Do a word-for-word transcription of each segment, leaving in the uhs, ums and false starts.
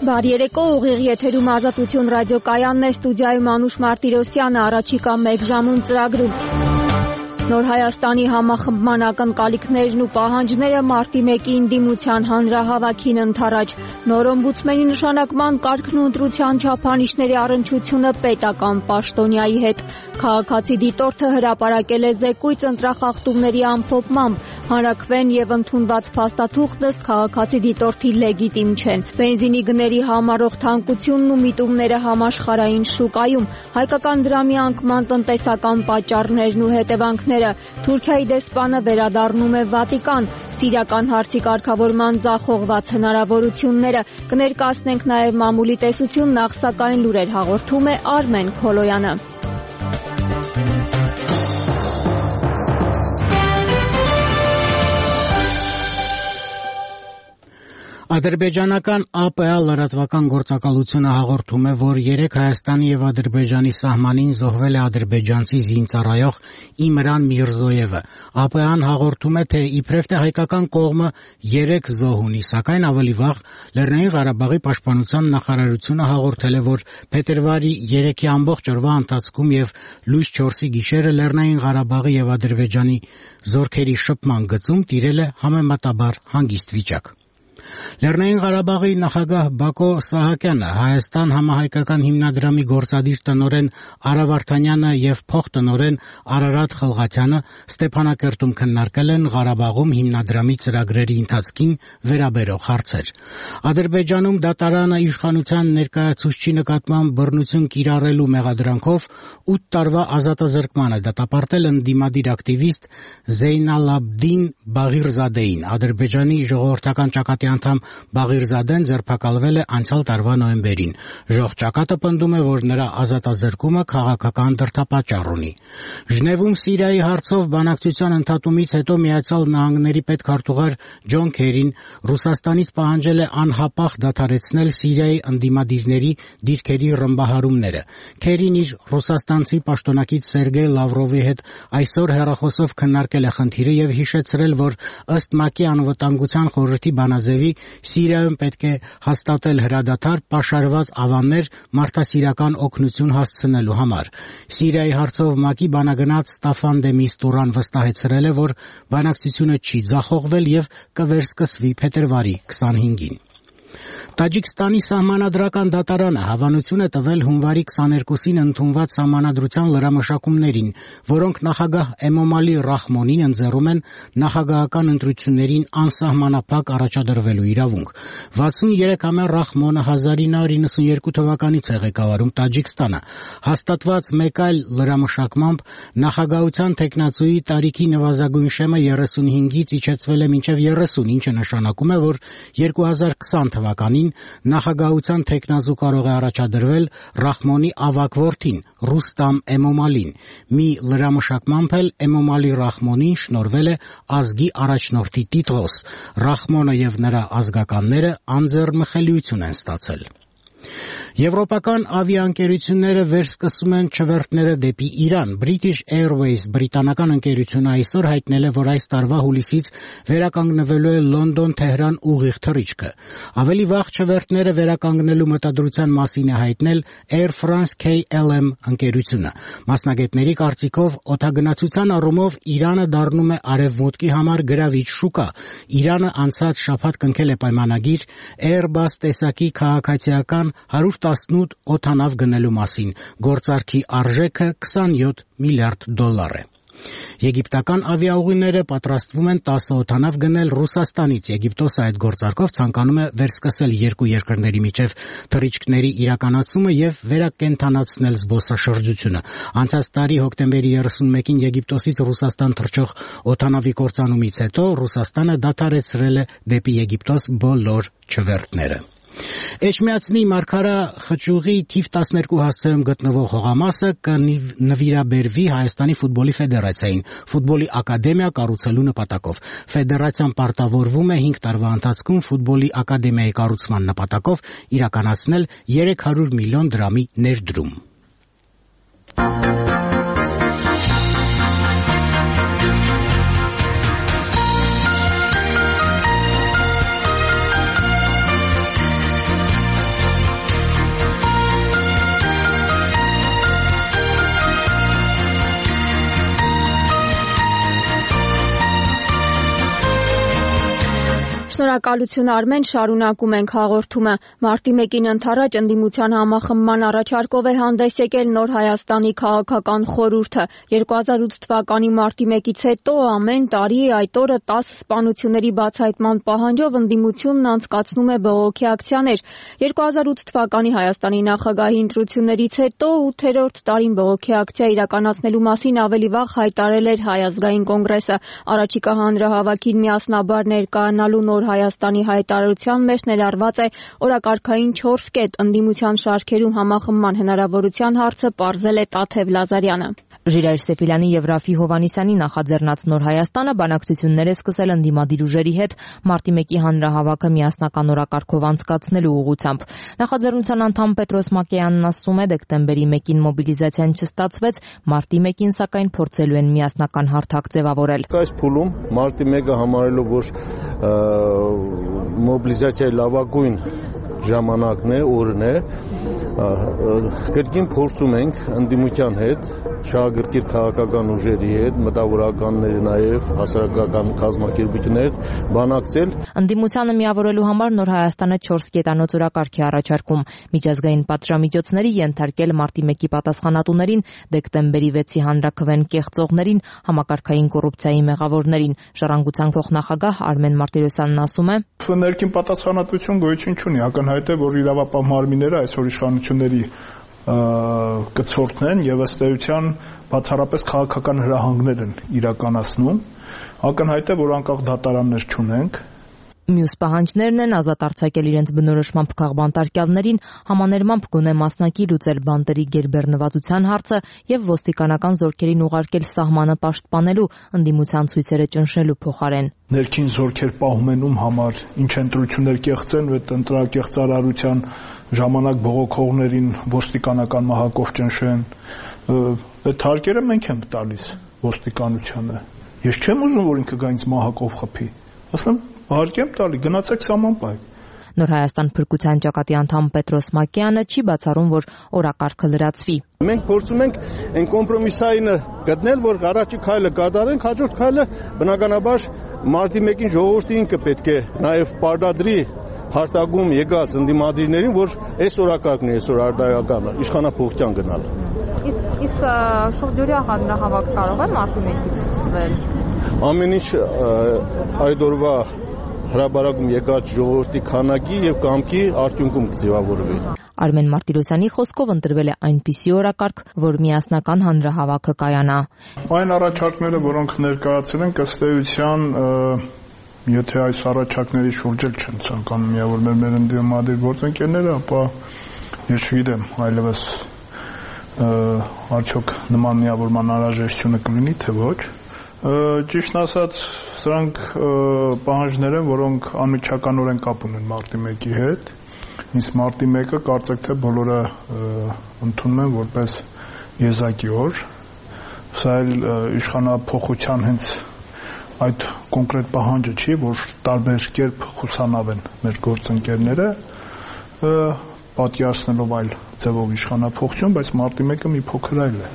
Բարի երեկո, ուղիղ եթերում Ազատություն ռադիոկայանն է, ստուդիայում Անուշ Մարտիրոսյանը, առաջիկա մեկ ժամում ծրագրում։ Նոր Հայաստանի համախմբման ակնկալիքներն ու պահանջները մարտի մեկին դիմության հանրահավաքին ընդառաջ։ Նոր օմբուդսմենի նշանակման կարգն ու ընտրության չափանիշների առնչությունը պետական պաշտոնյայի հետ։ Քաղաքացի դիտորդը հրապարակել է զեկույց ընտրախախտումների ամփոփմամբ։ Հանրաքվեն եւ ընդունված փաստաթուղթ ըստ քաղաքացի դիտորդի լեգիտիմ չեն։ Բենզինի գների համառող թանկությունն ու միտումները համաշխարհային շուկայում, հայկական դրամի անկման տնտեսական պատճառներն ու հետևանքները, Թուրքիայի դեսպանը վերադառնում է Վատիկան, սիրիական հարցի կարգավորման ձախողված հնարավորությունները, կներկայացնենք նաև մամուլի տեսություն, նախ սակայն լուրեր հաղորդում է Արմեն Քոլոյանը։ Ադրբեջանական A P A լրատվական գործակալությունը հաղորդում է, որ երեկ Հայաստանի եւ Ադրբեջանի սահմանին զոհվել է ադրբեջանցի զինծառայող Իմրան Միրզոևը։ A P A-ն հաղորդում է, թե իբրև թե հայկական կողմը երեք զոհ ունի, սակայն ավելի վաղ Լեռնային Ղարաբաղի պաշտպանության նախարարությունը հաղորդել է, որ փետրվարի երեքի ամբողջ օրվա ընթացքում եւ լույս չորսի գիշերը Լեռնային Ղարաբաղի եւ Ադրբեջանի զորքերի շփման գծում տիրել է համեմատաբար հանգիստ վիճակ։ Լեռնային Ղարաբաղի նախագահ Բակո Սահակյանը, Հայաստան համահայկական հիմնադրամի գործադիր տնօրեն Արա Վարդանյանը եւ փոխտնօրեն Արարատ Խլղաթյանը Ստեփանակերտում քննարկել են Ղարաբաղում հիմնադրամի ծրագրերի ընթացքին վերաբերող հարցեր։ Ադրբեջանում դատարանը իշխանության ներկայացուցչի նկատմամբ բռնություն կիրառելու մեղադրանքով ութ տարվա ազատազրկման է դատապարտել ընդդիմադիր ակտիվիստ Զեյնալաբդին Բաղիրզադեին։ Ադրբեջանի ժողովրդական ճակատի անդամ Բաղիրզադեն ձերբակալվել է անցյալ տարվա նոյեմբերին։ Ժող ճակատը պնդում է, որ նրա ազատազրկումը քաղաքական դրդապատճառ ունի։ Ժնևում Սիրիայի հարցով բանակցության ընդհատումից հետո Միացյալ Նահանգների պետքարտուղար Ջոն Քերին Ռուսաստանից պահանջել է անհապաղ դադարեցնել Սիրիայի ընդդիմադիրների դիրքերի ռմբահարումները։ Քերին իր ռուսաստանցի պաշտոնակից Սերգեյ Լավրովի հետ այսօր հեռախոսով քննարկել է խնդիրը եւ հիշեցրել, որ ըստ ՄԱԿ-ի անվտանգության խորհրդի բանաձևի Սիրիայում պետք է հաստատել հրադադար պաշարված ավաններ մարդասիրական օգնություն հասցնելու համար։ Սիրիայի հարցով ՄԱԿ-ի բանագնաց Ստաֆան դե Միստուրան վստահեցրել է, որ բանակցությունը չի ձախողվել եւ կվերսկսվի փետրվարի քսանհինգին։ Տաջիկստանի սահմանադրական դատարանը հավանություն է տվել հունվարի քսաներկուսին ընդունված սահմանադրության լրամշակումներին, որոնք նախագահ Էմոմալի Ռախմոնին ընձեռում են նախագահական ընտրություններին անսահմանափակ առաջադրվելու իրավունք։ վաթսուներեքամյա Ռախմոնը հազար ինը հարյուր նվաթ թվականից է ղեկավարում Տաջիկստանը։ Հաստատված մեկ այլ լրամշակմամբ նախագահության թեկնածուի տարիքի նվազագույն շեմը երեսունհինգից իջեցվել է մինչև երեսուն, ինչը նշանակում է, որ երկու հազար քսան թվականին նախագահության թեկնածու կարող է առաջադրվել Ռախմոնի ավագ որդին Ռուստամ Էմոմալին։ Մի լրամշակմամբ էլ Էմոմալի Ռախմոնին շնորհվել է ազգի առաջնորդի տիտղոս։ Ռախմոնը եւ նրա ազգականները անձեռնմխելիություն են ստացել։ Եվրոպական ավիաընկերությունները վերսկսում են չվերթները դեպի Իրան։ British Airways բրիտանական ընկերությունը այսօր հայտնել է, որ այս տարվա հուլիսից վերականգնվելու է Լոնդոն-Թեհրան ուղիղ թռիչքը։ Ավելի վաղ չվերթները վերականգնելու մտադրության մասին է հայտնել Air France-K L M ընկերությունը։ Մասնագետների կարծիքով օդագնացության առումով Իրանը դառնում է արևմուտքի համար գրավիչ շուկա։ Իրանը անցած շաբաթ կնքել է պայմանագիր Airbus տեսակի քաղաքացիական հարյուր տասնութ օդանավ գնելու մասին։ Գործարքի արժեքը քսանյոթ միլիարդ դոլար է։ Եգիպտական ավիաուղիները պատրաստվում են տասը օդանավ գնել Ռուսաստանից։ Եգիպտոսը այդ գործարքով ցանկանում է վերսկսել երկու երկրների միջև թռիչքների իրականացումը եւ վերակենդանացնել զբոսաշրջությունը։ Անցած տարի հոկտեմբերի երեսունմեկին Եգիպտոսից Ռուսաստան թռչող օդանավի կործանումից հետո Ռուսաստանը դադարեցրել է դեպի Եգիպտոս բոլոր չվերթները։ Էջմիածնի Մարգարա խճուղի թիվ տասներկու հասցեում գտնվող հողամասը կնվիրաբերվի Հայաստանի ֆուտբոլի ֆեդերացիային ֆուտբոլի ակադեմիա կառուցելու նպատակով։ Ֆեդերացիան պարտավորվում է հինգ տարվա ընթացքում ֆուտբոլի ակադեմիայի կառուցման նպատակով իրականացնել երեք հարյուր միլիոն դրամի ներդրում։ Շնորհակալություն Արմեն, շարունակում ենք հաղորդումը։ Մարտի մեկին ընդառաջ ընդդիմության համախմբման առաջարկով է հանդես եկել Նոր Հայաստանի քաղաքական խորհուրդը։ երկու հազար ութ թվականի մարտի մեկից հետո ամեն տարի այդ օրը տասը սպանությունների բացահայտման պահանջով ընդդիմությունն անցկացնում է բողոքի ակցիաներ։ երկու հազար ութ թվականի Հայաստանի նախագահի ընտրություններից հետո ութերորդ տարին բողոքի ակցիա իրականացնելու մասին ավելի վաղ հայտարարել էր Հայ ազգային կոնգրեսը։ Առաջիկա հանրահավաքին միասնաբար ներկայանալու Նոր Հայաստանի հայտարարության մեջ ներառված է օրակարգային չորս կետ։ Ընդդիմության շարքերում համախմբման հնարավորության հարցը պարզել է Տաթև Լազարյանը։ Ժիրայր Սեփիլյանի եւ Ռաֆի Հովհաննիսյանի նախաձեռնած Նոր Հայաստանը բանակցություններ է սկսել ընդդիմադիր ուժերի հետ մարտի մեկի հանրահավաքը միասնական օրակարգով անցկացնելու ուղղությամբ։ Նախաձեռնության անդամ Պետրոս Մակեյանն ասում է, դեկտեմբերի մեկին մոբիլիզացիան չստացվեց, մարտի մեկին սակայն փորձելու են միասնական հարթակ ձևավորել։ Այս փուլում մարտի մեկը համարելով որ մոբիլիզացիայի լավագույն ժամանակն է, օրն է, կրկին փորձում ենք ընդդիմության հետ, շահագրգիռ քաղաքական ուժերի հետ, մտավորականների նաև հասարակական կազմակերպությունների հետ բանակցել։ Ընդդիմությանը միավորելու համար Նոր Հայաստանը չորս կետանոց օրակարգ է առաջարկում։ Միջազգային պատժամիջոցների ենթարկել մարտի մեկի պատասխանատուներին, դեկտեմբերի վեցի հանրաքվեն կեղծողներին, համակարգային կոռուպցիայի մեղավորներին։ Ժառանգության փոխնախագահ Արմեն Մարտիրոսյանն ասում է. Ներքին պատասխանատվություն գոյություն չունի, ակնհայտ է, որ իրավապահ մարմինները այսօր իշխանությունների կցորդն են եւ ըստ էության բացառապես քաղաքական հրահանգներ են իրականացնում։ Ակնհայտ է, որ անկախ դատարաններ չունենք։ Մյուս պահանջներն են ազատ արձակել իրենց բնորոշմամբ քաղբանտարկյալներին, համաներմամբ գոնե մասնակի լուծել բանտերի գերբեռնվածության հարցը եւ ոստիկանական զորքերին ուղարկել սահմանը պաշտպանելու ընդդիմության ցույցերը ճնշելու փոխարեն։ Ներքին զորքեր պահում են ում համար, ինչ ընտրություններ կեղծեն, այդ ընտրակեղծարարության ժամանակ բողոքողներին ոստիկանական մահակով ճնշեն։ Այդ հարկերը մենք ենք տալիս ոստիկանությանը։ Ես չեմ ուզում, որ ինքը գա ինձ մահակով խփի։ Ասում եմ, հարկեմ տալի, գնացեք սահման պահեք։ Նոր Հայաստան փրկության ճակատի անդամ Պետրոս Մակեյանը չի բացառում, որ օրակարգը լրացվի։ Մենք փորձում ենք այն կոմպրոմիսայինը գտնել, որ առաջի քայլը կատարենք, հաջորդ քայլը բնականաբար մարտի մեկին ժողովուրդը ինքը պետք է նաև պարտադրի հարտակում եկած ընդդիմադիրներին, որ այս օրակարգն է, այսօր արդարականը, իշխանափոխության գնալ։ Իսկ շուրջ օրյա հանրահավաք կարող է մարտի մեկից սկսվել։ Ամեն ինչ այդ օրվա հրաբարակում եկած ժողովրդի քանակի եւ կամքի արդյունքում կձևավորվի։ Արմեն Մարտիրոսյանի խոսքով ընտրվել է այնպիսի օրակարգ, որ միասնական հանրահավաքը կայանա։ Այն առաջարկները, որոնք ներկայացել են, ըստ էության, եթե այս առաջարկների շուրջ էլ չեն ցանկանում միավորվել մեր ընդդիմադիր գործընկերները, ապա ես չգիտեմ, այլևս արդյոք նման միավորման անհրաժեշտությունը կլինի, թե ոչ։ Ճիշտ ասած, սրանք պահանջներ են, որոնք անմիջականորեն կապ ունեն մարտի մեկի հետ։ Իսկ մարտի մեկը կարծեք թե բոլորը ընդունում են որպես եզակի օր։ Սա էլ իշխանափոխության հենց այդ կոնկրետ պահանջը չի, որ տարբեր կերպ խուսանավեն մեր գործընկերները, պատկերացնելով այլ ձևով իշխանափոխություն, բայց մարտի մեկը մի փոքր այլ է։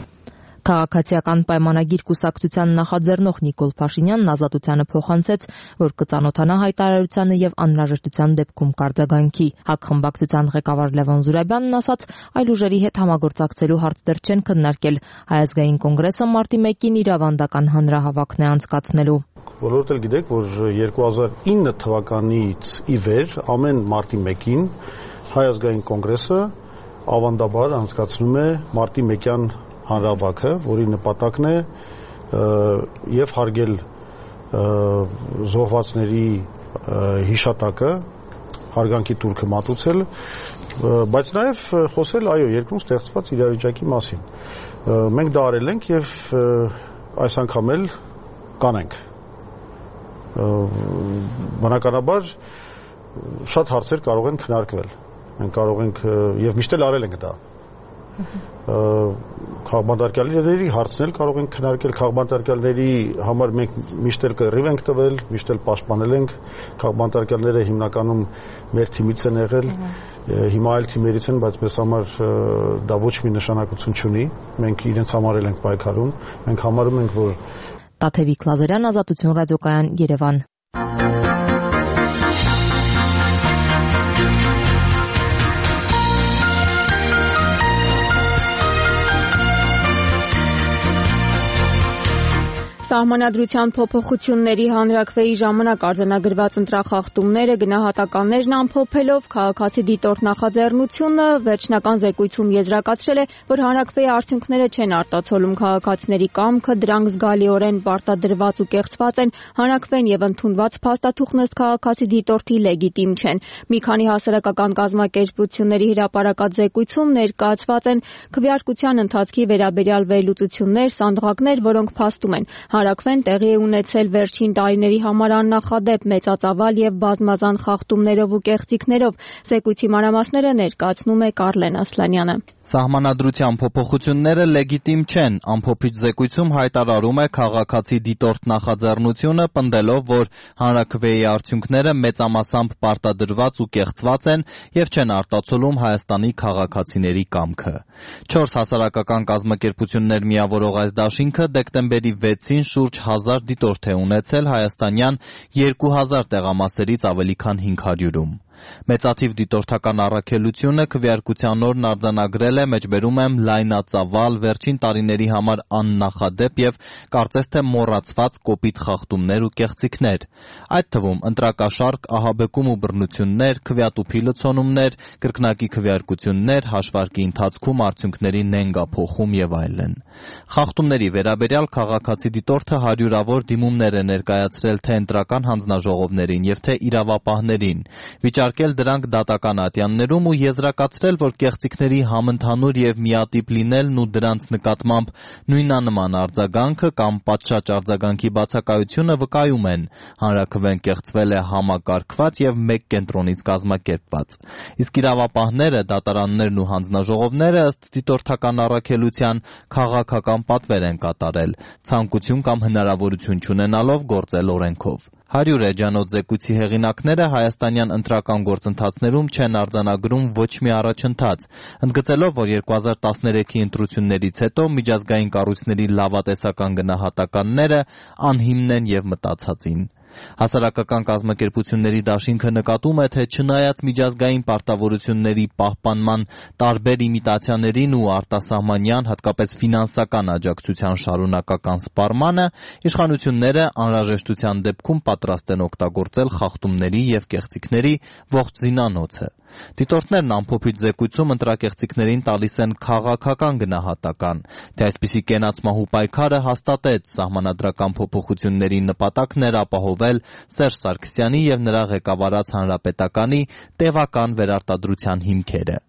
Քաղաքացիական պայմանագիր կուսակցության նախաձեռնող Նիկոլ Փաշինյանն Ազատությանը փոխանցեց, որ կծանոթանա հայտարարությանը եւ անհրաժեշտության դեպքում կարձագանքի։ ՀԱԿ խմբակցության ղեկավար Լևոն Զուրաբյանն ասաց, այլ ուժերի հետ համագործակցելու հարց դեռ չեն քննարկել։ Հայ ազգային կոնգրեսը մարտի մեկին իր ավանդական հանրահավաքն է անցկացնելու։ Բոլորդ էլ գիտեք, որ երկու հազար ինը թվականից ի վեր ամեն մարտի մեկին Հայ ազգային կոնգրեսը ավանդաբար անցկացնում է մարտի մեկյան հանրահավաքը, որի նպատակն է եւ հարգել զոհվածների հիշատակը, հարգանքի տուրքը մատուցել, բայց նաեւ խոսել այո երկրում ստեղծված իրավիճակի մասին։ Մենք դա արել ենք եւ այս անգամ էլ կանենք։ Բնականաբար շատ հարցեր կարող են քննարկվել։ Մենք կարող ենք եւ միշտ էլ արել ենք դա։ Քաղբանտարկյալների հարցն էլ կարող ենք քննարկել, քաղբանտարկյալների համար մենք միշտ էլ կռիվ ենք տվել, միշտ էլ պաշտպանել ենք, քաղբանտարկյալները հիմնականում մեր թիմից են եղել, հիմա այլ թիմերից են, բայց մեզ համար դա ոչ մի նշանակություն չունի, մենք իրենց համար էլ ենք պայքարում, մենք համարում ենք, որ Տաթևիկ Լազարյան, Ազատություն ռադիոկայան, Երևան։ Սահմանադրության փոփոխությունների հանրաքվեի ժամանակ արձանագրված ընտրախախտումները գնահատականներն ամփոփելով քաղաքացի դիտորդ նախաձեռնությունը վերջնական զեկույցում եզրակացրել է, որ հանրաքվեի արդյունքները չեն արտացոլում քաղաքացիների կամքը, դրանք զգալիորեն պարտադրված ու կեղծված են, հանրաքվեն եւ ընդունված փաստաթուղթն ըստ քաղաքացի դիտորդի լեգիտիմ չեն։ Մի քանի հասարակական կազմակերպությունների հրապարակած զեկույցում ներկայացված են քվեարկության ընթացքի վերաբերյալ վերլուծություններ, սանդղակներ, որոնք փաստում են հանրաքվեն տեղի է ունեցել վերջին տարիների համար աննախադեպ մեծածավալ եւ բազմազան խախտումներով ու կեղծիքներով։ Զեկույցի մանրամասները ներկայացնում է Կարլեն Ասլանյանը։ Սահմանադրության փոփոխությունները լեգիտիմ չեն, ամփոփիչ զեկույցում հայտարարում է քաղաքացի դիտորդ նախաձեռնությունը, պնդելով, որ հանրաքվեի արդյունքները մեծամասամբ պարտադրված ու կեղծված են եւ չեն արտացոլում Հայաստանի քաղաքացիների կամքը։ Չորս հասարակական կազմակերպություններ միավորող այս դաշինքը դեկտեմբերի վեցին շուրջ հազար դիտորդ է ունեցել հայաստանյան երկու հազար տեղամասերից ավելի քան հինգ հարյուրում։ Մեծաթիվ դիտորդական առաքելությունը քվեարկության օրն արձանագրել է, մեջբերում եմ, լայնածավալ, վերջին տարիների համար աննախադեպ եւ կարծես թե մոռացված կոպիտ խախտումներ ու կեղծիքներ, այդ թվում ընտրակաշարք, ահաբեկում ու բռնություններ, քվեատուփի լցոնումներ, կրկնակի քվեարկություններ, հաշվարկի ընթացքում արդյունքների նենգափոխում եւ այլն։ Խախտումների վերաբերյալ քաղաքացի դիտորդը հարյուրավոր դիմումներ է ներկայացրել թե ընտրական հանձնաժողովներին եւ թե իրավապահներին, վիճարկել դրանք դատական ատյաններում ու եզրակացրել, որ կեղծիքների համընդհանուր եւ միատիպ լինելն ու դրանց նկատմամբ նույնանման արձագանքը կամ պատշաճ արձագանքի բացակայությունը վկայում են հանրաքվեն կեղծվել է համակարգված եւ մեկ կենտրոնից կազմակերպված։ Իսկ իրավապահները, դատարաններն ու հանձնաժողովները ըստ դիտորդական առաքելության քաղաքական պատվեր են կատարել, ցանկություն կամ հնարավորություն չունենալով գործել օրենքով։ Հարյուր էջանոց զեկույցի հեղինակները հայաստանյան ընտրական գործընթացներում չեն արձանագրում ոչ մի առաջընթաց, ընդգծելով, որ երկու հազար տասներեքի ընտրություններից հետո միջազգային կառույցների լավատեսական գնահատականները անհիմն են եւ մտածածին։ Հասարակական կազմակերպությունների դաշինքը նկատում է, թե չնայած միջազգային պարտավորությունների պահպանման տարբեր իմիտացիաներին ու արտասահմանյան, հատկապես ֆինանսական աջակցության շարունակական սպառմանը, իշխանությունները անհրաժեշտության դեպքում պատրաստ են օգտագործել խախտումների եւ կեղծիքների ողջ զինանոցը։ Դիտորդներն ամփոփիչ զեկույցում ընտրակեղծիքներին տալիս են քաղաքական գնահատական, թե այսպիսի կենացմահու պայքարը հաստատեց սահմանադրական փոփոխությունների նպատակն էր ապահովել Սերժ Սարգսյանի եւ նրա ղեկավարած հանրապետականի տևական վերարտադրության հիմքերը։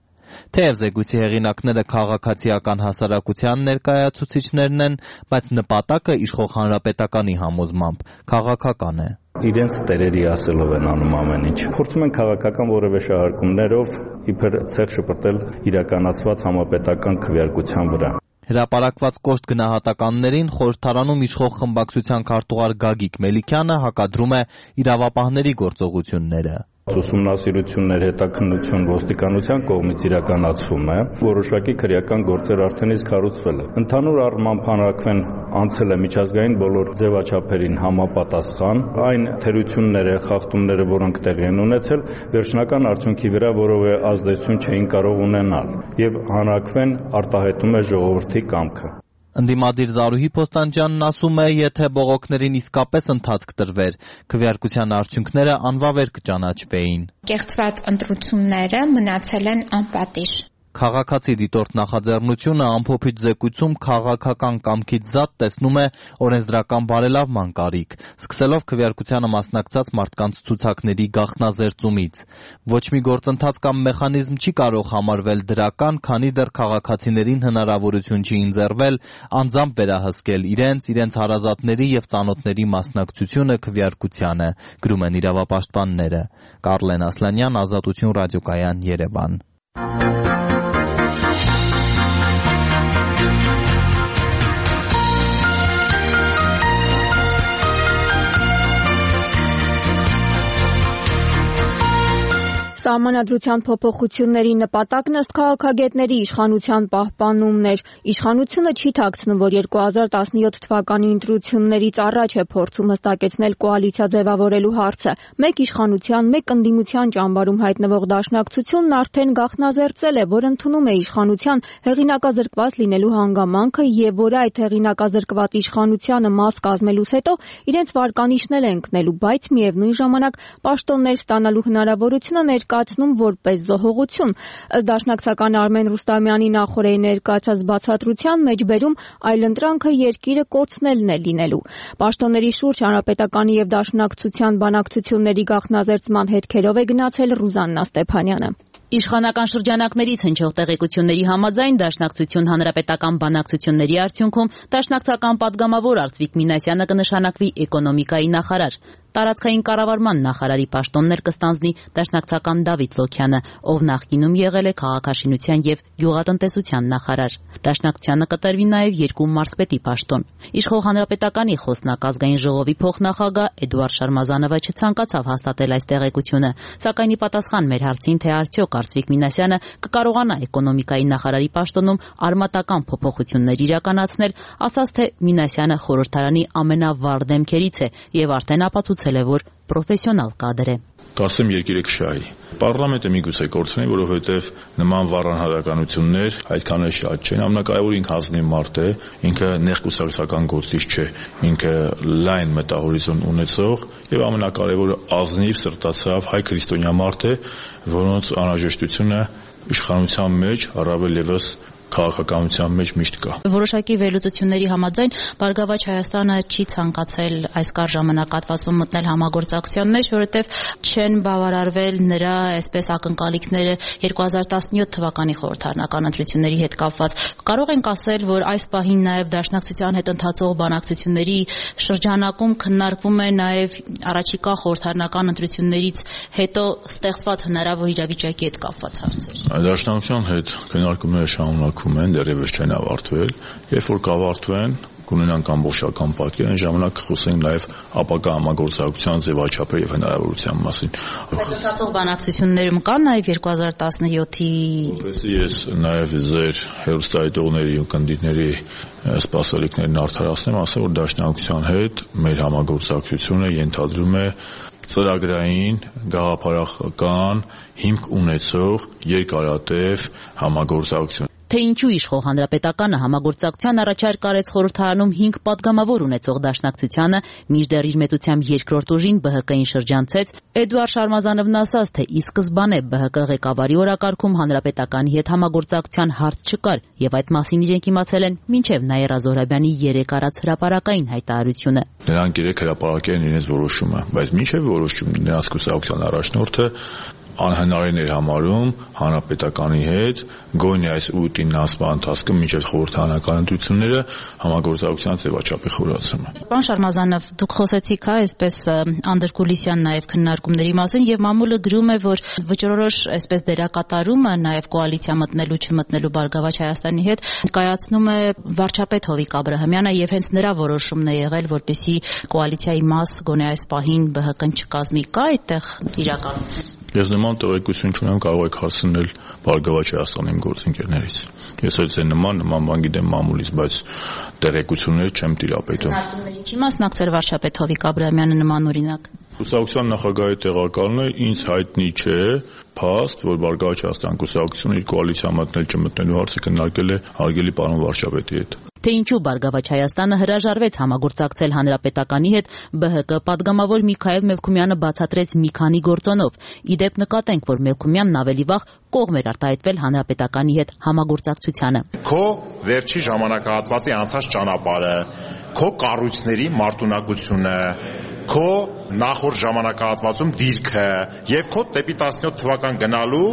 Թեև զեկույցի հեղինակները քաղաքացիական հասարակության ներկայացուցիչներն են, բայց նպատակը իշխող հանրապետականի համոզմամբ քաղաքական է։ Իրենց տերերի ասելով են անում ամեն ինչ։ Փորձում են քաղաքական որևէ շահարկումներով իբր ցեղ շպրտել իրականացված համապետական քվեարկության վրա։ Հրապարակված կոշտ գնահատականներին խորհրդարանում իշխող խմբակցության քարտուղար Գագիկ Մելիքյանը հակադրում է իրավապահների գործողությունները։ Ուսումնասիրություններ, հետաքննություն ոստիկանության կողմից իրականացվում է, որոշակի քրեական գործեր արդեն իսկ հարուցվել է։ Ընդհանուր առմամբ հանրաքվեն անցել է միջազգային բոլոր ձևաչափերին համապատասխան, այն թերությունները, խախտումները, որոնք տեղի են ունեցել, վերջնական արդյունքի վրա որևէ ազդեցություն չէին կարող ունենալ, եւ հանրաքվեն արտահայտում է ժողովրդի կամքը։ Ընդդիմադիր Զարուհի Փոստանջյանն ասում է, եթե բողոքներին իսկապես ընթացք տրվեր, քվեարկության արդյունքները անվավեր կճանաչվեին։ Կեղծված ընտրությունները մնացել են անպատիժ։ Քաղաքացի դիտորդ նախաձեռնությունը ամփոփիչ զեկույցում քաղաքական կամքից զատ տեսնում է օրենսդրական բարելավման կարիք, սկսելով քվեարկությանը մասնակցած մարդկանց ցուցակների գաղտնազերծումից։ Ոչ մի գործընթաց կամ մեխանիզմ չի կարող համարվել դրական, քանի դեռ քաղաքացիներին հնարավորություն չի ընձեռվել անձամբ վերահսկել իրենց, իրենց հարազատների եւ ծանոթների մասնակցությունը քվեարկությանը, գրում են իրավապաշտպանները։ Կարլեն Ասլանյան, Ազատություն ռադիոկայան, Երևան։ Սահմանադրության փոփոխությունների նպատակն ըստ քաղաքագետների իշխանության պահպանումն էր։ Իշխանությունը չի թաքցնում, որ երկու հազար տասնյոթ թվականի ընտրություններից առաջ է փորձում հստակեցնել կոալիցիա ձևավորելու հարցը։ Մեկ իշխանության, մեկ ընդդիմության ճամբարում հայտնվող դաշնակցությունն արդեն գաղտնազերծել է, որ ընդունում է իշխանության հեղինակազրկված լինելու հանգամանքը եւ որ այդ հեղինակազրկված իշխանությանը մաս կազմելուց հետո իրենց վարկանիշն էլ է ընկնելու, բայց միևնույն ժամանակ պաշտոններ ստանալու հնարավորությունը ներկայացնում որպես զոհողություն։ Ըստ դաշնակցական Արմեն Ռուստամյանի նախորդի ներկայացած բացատրության մեջ բերում այլընտրանքը երկիրը կորցնելն է լինելու։ Պաշտոնների շուրջ հանրապետականի եւ դաշնակցության բանակցությունների գաղտնազերծման հետքերով է գնացել Ռուզաննա Ստեփանյանը։ Իշխանական շրջանակներից հնչող տեղեկությունների համաձայն դաշնակցություն հանրապետական բանակցությունների արդյունքում դաշնակցական падգամավոր Արծվիկ Մինասյանը կնշանակվի էկոնոմիկայի նախարար։ Տարածքային կառավարման նախարարի պաշտոններ կստանձնի դաշնակցական Դավիթ Լոքյանը, ով նախկինում եղել է քաղաքաշինության եւ գյուղատնտեսության նախարար։ Դաշնակցությանը կտրվի նաեւ երկու մարզպետի պաշտոն։ Իշխող հանրապետականի խոսնակ ազգային ժողովի փոխնախագահ Էդուարդ Շարմազանովը չցանկացավ հաստատել այս տեղեկությունը, սակայն ի պատասխան մեր հարցին, թե արդյոք Արծվիկ Մինասյանը կկարողանա էկոնոմիկայի նախարարի պաշտոնում արմատական փոփոխություններ իրականացնել, ասաց, թե Մինասյանը խորհրդարանի ամենավառ դեմքերից է եւ արդեն ապացուցել է, որ պրոֆեսիոնալ կադր է։ Կասեմ երկիրը կշահի։ Պարլամենտը միգուցե կորցնի, որովհետև նման վառանհարականություններ այդքան էլ շատ չեն։ Ամենակարևորը ինքը ազնիվ մարդ է, ինքը նեղկուսակցական գործիչ չէ, ինքը լայն մտահորիզոն ունեցող եւ ամենակարևորը ազնիվ սրտացավ հայ քրիստոնյա մարդ է, որոնց անհրաժեշտությունը իշխանության մեջ առավել եւս քաղաքականության մեջ միշտ կա։ Որոշակի վերլուծությունների համաձայն Բարգավաճ Հայաստանը չի ցանկացել այս կար ժամանակահատվածում մտնել համագործակցության մեջ, որովհետև չեն բավարարվել նրա այսպես ակնկալիքները երկու հազար տասնյոթ թվականի խորհրդարանական ընտրությունների հետ կապված։ Կարող ենք ասել, որ այս պահին նաև դաշնակցության հետ ընթացող բանակցությունների շրջանակում քննարկվում է նաև առաջիկա խորհրդարանական ընտրություններից հետո ստեղծված հնարավոր իրավիճակի հետ կապված հարցեր։ Դաշնակցության հետ քննարկումները շարունակվում են, դեռևս չեն ավարտվել, երբ որ կավարտվեն, կունենանք ամբողջական պատկեր, այն ժամանակ խոսենք նաև ապագա համագործակցության ձևաչափերի եւ հնարավորության մասին։ Բայց ստացող բանակցություններում կա նաև երկու հազար տասնյոթի Որպեսզի ես նաև ձեր հերոստատողների ու կնդիրների սպասելիքներն արդարացնեմ, ասեմ, որ դաշնակցության հետ մեր համագործակցությունը ենթադրում է ծրագրային, գաղափարական հիմք ունեցող երկարատև համագործակցություն։ Թե ինչու իշխող հանրապետականը համագործակցության առաջարկ արեց խորհրդարանում հինգ պատգամավոր ունեցող դաշնակցությանը, մինչդեռ իր մեծությամբ երկրորդ ուժին Բ Հ Կ-ին շրջանցեց, Էդուարդ Շարմազանովն ասաց, թե ի սկզբանե Բ Հ Կ ղեկավարի օրակարգում հանրապետականի հետ համագործակցության հարց չկար, եւ այդ մասին իրենք իմացել են մինչեւ Նաիրա Զոհրաբյանի երեք արած հրապարակային հայտարարությունը։ Նրանք երեք հրապարակել են իրենց որոշումը, բայց մինչեւ որոշում նրանց կուսակցության առաջնորդը անհնարին էր համարում հանրապետականի հետ գոնե այս ուտին ասման ընթացքը մինչև խորհրդարանական ընտրությունները համագործակցության ձևաչափի խորացումը։ Պարոն Շարմազանով, դուք խոսեցիք, հա, այսպես անդրկուլիսյան նաև քննարկումների մասին եւ մամուլը գրում է, որ վճռորոշ այսպես դերակատարումը նաև կոալիցիա մտնելու չմտնելու Բարգավաճ Հայաստանի հետ կայացնում է վարչապետ Հովիկ Աբրահամյանը եւ հենց նրա որոշումն է եղել, որպեսզի կոալիցիայի մաս գոնե այս պահին Բ Հ Կ-ն չկազմի, կա այդտեղ իրականություն։ Ես նման տեղեկություն չունեմ, կարող եք հասցնել Բարգավաճ Հայաստանի գործընկերներից։ Ես էլ ձեր նման նման բան գիտեմ մամուլից, բայց տեղեկություններ չեմ տիրապետում։ Քննարկումների չի մասնակցել վարչապետ Հովիկ Աբրահամյանը նման օրինակ։ Կուսակցության նախագահի տեղակալն է, ինձ հայտնի չէ փաստ, որ Բարգավաճ Հայաստան կուսակցությունը իր կոալիցիա մտնել չմտնելու հարցը քննարկել է հարգելի պարոն վարչապետի հետ։ Թե ինչու Բարգավաճ Հայաստանը հրաժարվեց համագործակցել հանրապետականի հետ, Բ Հ Կ պատգամավոր Միքայել Մելքումյանը բացատրեց մի քանի գործոնով։ Իդեպ նկատենք, որ Մելքումյանն ավելի վաղ կողմ էր արտահայտվել հանրապետականի հետ համագործակցությանը։ Քո վերջի ժամանակահատվածի անցած ճանապարհը, քո կառույցների մարտունակությունը, քո նախորդ ժամանակահատվածում դիրքը եւ քո դեպի տասնյոթ թվական գնալու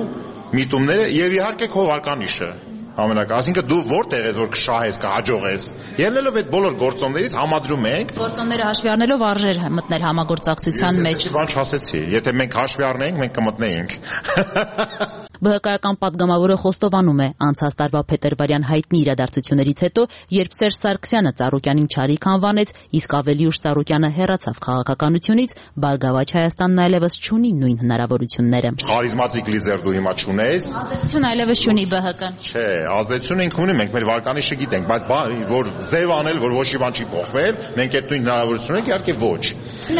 միտումները եւ իհարկե քո վարկանիշը ամենակա, այսինքն դու որտեղ ես որ կշահես, կհաջողես։ Ելնելով այդ բոլոր գործոններից համադրում ենք գործոնները հաշվի առնելով արժեր մտնել համագործակցության մեջ։ Բան չասեցի, եթե մենք հաշվի առնենք, մենք կմտնեինք։ ԲՀԿ-ական պատգամավորը խոստովանում է, անցած տարվա փետրվարյան հայտնի իրադարձություններից հետո, երբ Սերժ Սարգսյանը Ծառուկյանին չարիք անվանեց, իսկ ավելի ուշ Ծառուկյանը հեռացավ քաղաքականությունից, Բարգավաճ Հայաստանն այլևս չունի նույն հնարավորությունները։ Խարիզմատիկ լիդեր դու հիմա չունես։ Ազդեցություն այլևս չունի ԲՀԿ-ն։ Չէ, ազդեցություն ինք ունի, մենք մեր վարկանիշը գիտենք, բայց որ ձև անել, որ ոչ մի բան չի փոխվել, մենք այդ նույն հնարավորությունը ենք, իհարկե ոչ։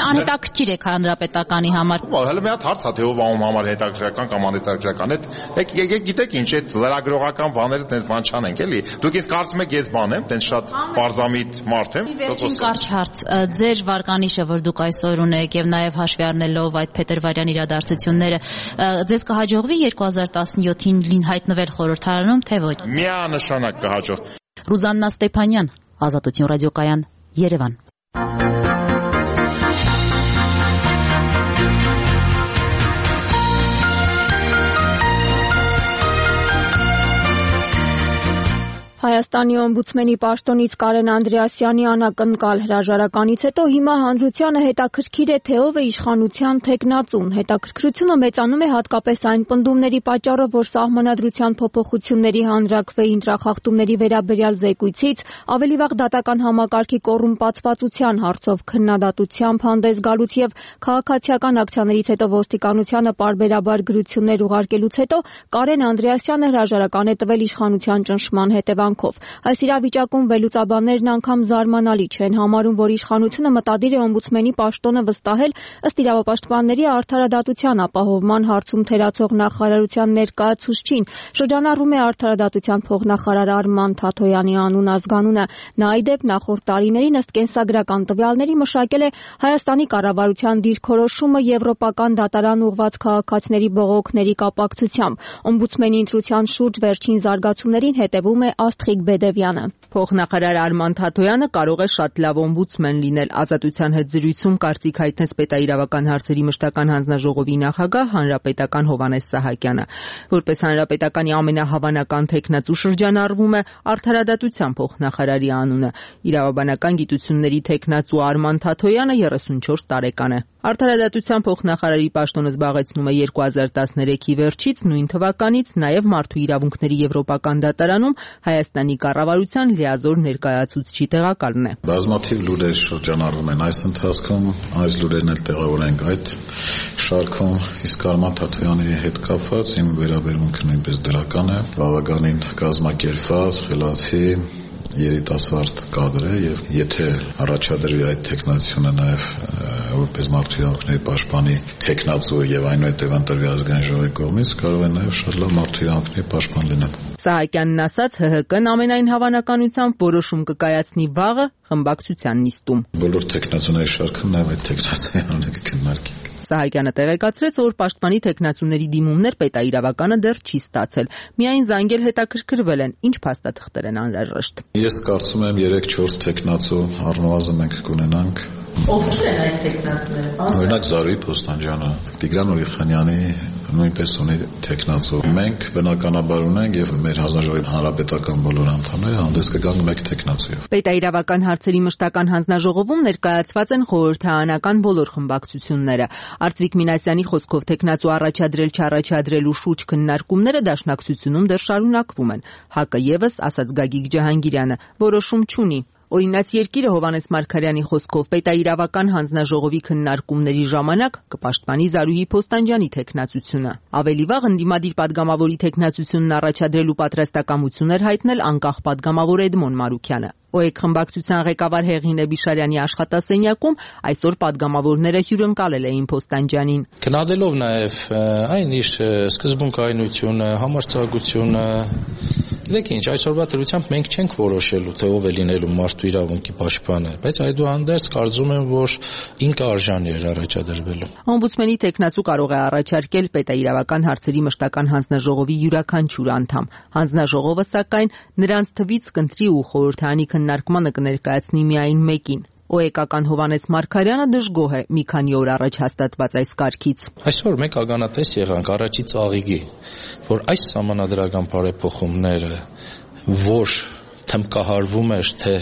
Անհետաքրքիր է հանրապետականի համար։ Հələ մի հատ հարց է, թե ով անում համար հետաքրքրական կամ անհետաքրքրական է։ Եկեք գիտեք ինչ, այդ լրագրողական բաները տենց բան չանենք, էլի։ Դուք ինձ կարծում եք ես բան եմ, տենց շատ պարզամիտ մարդ եմ։ Վերջին կարճ հարց, ձեր վարկանիշը, որ դուք այսօր ունեք եւ նաեւ հաշվի առնելով այդ փետրվարյան իրադարձությունները, ձեզ կհաջողվի երկու հազար տասնյոթին հայտնվել խորհրդարանում, թե ոչ։ Միանշանակ կհաջող։ Ռուզաննա Ստեփանյան, Ազատություն ռադիոկայան, Երևան։ Հայաստանի օմբուդսմենի պաշտոնից Կարեն Անդրեասյանի անակնկալ հրաժարականից հետո հիմա հանրությանը հետաքրքիր է, թե ով է իշխանության թեկնածուն։ Հետաքրքրությունը մեծանում է հատկապես այն պնդումների պատճառով, որ Սահմանադրության փոփոխությունների հանրաքվեի ընտրախախտումների վերաբերյալ զեկույցից ավելի վաղ դատական համակարգի կոռումպացվածության հարցով քննադատությամբ հանդես գալուց եւ քաղաքացիական ակցիաներից հետո ոստիկանությանը պարբերաբար գրություններ ուղարկելուց հետո Կարեն Անդրեասյանը հրաժարական է տվել իշխանության ճնշման հետևանքով։ Այս իրավիճակում վերլուծաբաններն անգամ զարմանալի չեն համարում, որ իշխանությունը մտադիր է օմբուդսմենի պաշտոնը վստահել ըստ իրավապաշտպանների արդարադատության ապահովման հարցում թերացող նախարարության ներկայացուցչին։ Շրջանառում է արդարադատության փոխնախարար Արման Թաթոյանի անուն ազգանունը։ Նա ի դեպ նախորդ տարիներին ըստ կենսագրական տվյալների մշակել է Հայաստանի կառավարության դիրքորոշումը եվրոպական դատարան ուղղված քաղաքացիների բողոքների կապակցությամբ։ Օմբուդսմենի ընտրության շուրջ վերջին զարգացումներին հետևում է Աստղիկ Բեդևյանը։ Փոխնախարար Արման Թաթոյանը կարող է շատ լավ օմբուդսմեն լինել։ Ազատության հետ զրույցում կարծիք հայտնեց պետաիրավական հարցերի մշտական հանձնաժողովի նախագահ հանրապետական Հովհաննես Սահակյանը։ Որպես հանրապետականի ամենահավանական թեկնածու շրջանառվում է արդարադատության փոխնախարարի անունը։ Իրավաբանական գիտությունների թեկնածու Արման Թաթոյանը երեսունչորս տարեկան է։ Արդարադատության փոխնախարարի պաշտոնը զբաղեցնում է երկու հազար տասներեքի վերջից, նույն թվականից նաև Մարդու իրավունքների եվրոպական դատարանում Հայաստանի կառավարության լիազոր ներկայացուցչի տեղակալն է։ Բազմաթիվ լուրեր շրջանառվում են այս ընթացքում, այս լուրերն էլ տեղավորենք այդ շարքում, իսկ Արման Թաթոյանի հետ կապված իմ վերաբերմունքը նույնպես դրական է, բավականին կազմակերպված, խելացի երիտասարդ կադր է եւ եթե առաջադրվի այդ տեխնացիոնը նաեւ որպես մարդու իրավունքների պաշտպանի տեխնացու եւ այնուհետեւ ընտրվի ազգային ժողովի կողմից կարող է նաեւ շատ լավ մարդու իրավունքների պաշտպան լինել։ Սահակյանն ասաց Հ Հ Կն ամենայն հավանականությամբ որոշում կկայացնի վաղը խմբակցության նիստում։ Բոլոր տեխնացուների շարքը նաեւ այդ տեխնացիայի անունը կքննարկի։ Սահակյանը տեղեկացրեց, որ պաշտպանի տեխնացուների դիմումներ պետաիրավականը դեռ չի ստացել։ Միայն զանգել հետաքրքրվել են, ինչ փաստաթղթեր են անհրաժեշտ։ Ես կարծում եմ երեք-չորս տեխնացու առնվազն մենք կունենանք։ Ովքեր են այդ տեխնացուները։ Օրինակ Զարուհի Փոստանջյանը, Տիգրան Ուրիխանյանի նույնպես ունի տեխնացու։ Մենք բնականաբար ունենք եւ մեր հանձնաժողովի հանրապետական բոլոր անդամները հանդես կգանք մեկ տեխնացուով։ Պետաիրավական հարցերի մշտական հանձնաժողովում ներկայացված են խորհրդարանական բոլոր խմբակցությունները։ Արծվիկ Մինասյանի խոսքով տեխնացու առաջադրել չառաջադրելու շուրջ քննարկումները դաշնակցությունում դեռ շարունակվում են։ Հ Կ եւս, ասաց Գագիկ Ջահանգիրյանը, որոշում չունի։ Օրինաց երկիրը Հովհաննես Մարգարյանի խոսքով պետաիրավական հանձնաժողովի քննարկումների ժամանակ կպաշտպանի Զարուհի Փոստանջյանի տեխնացությունը։ Ավելի վաղ ընդդիմադիր падգամավորի տեխնացությունն առաջադրելու պատրաստակամություն էր հայտնել անկախ падգամավոր Էդմոն Մարուքյանը։ Օ Է Կ խմբակցության ղեկավար Հեղինե Բիշարյանի աշխատասենյակում այսօր падգամավորները հյուրընկալել էին Փոստանջյանին։ Գնահատելով նաև այն իր սկզբունքայնությունը, համարձակությունը, գիտեք ինչ, այսօրվա դրությամբ մենք չենք որոշելու, թե ով է լինելու մարդու իրավունքի պաշտպանը, բայց այդուհանդերձ կարծում եմ, որ ինքը արժանի էր առաջադրվելու։ Օմբուդսմենի տեխնացու կարող է առաջարկել պետաիրավական հարցերի մշտական հանձնաժողովի յուրաքանչյուր անդամ։ Հանձնաժողովը, սակայն, նրանց թվից կընտրի ու խորհրդարանի քննարկմանը կներկայացնի միայն մեկին։ Օ Է Կ-ական Հովհաննես Մարգարյանը դժգոհ է մի քանի օր առաջ հաստատված այս կարգից։ Այսօր մենք ականատես եղանք առաջի ծաղիկի, որ այս սահմանադրական բարեփոխումները, որ թմկահարվում էր, թե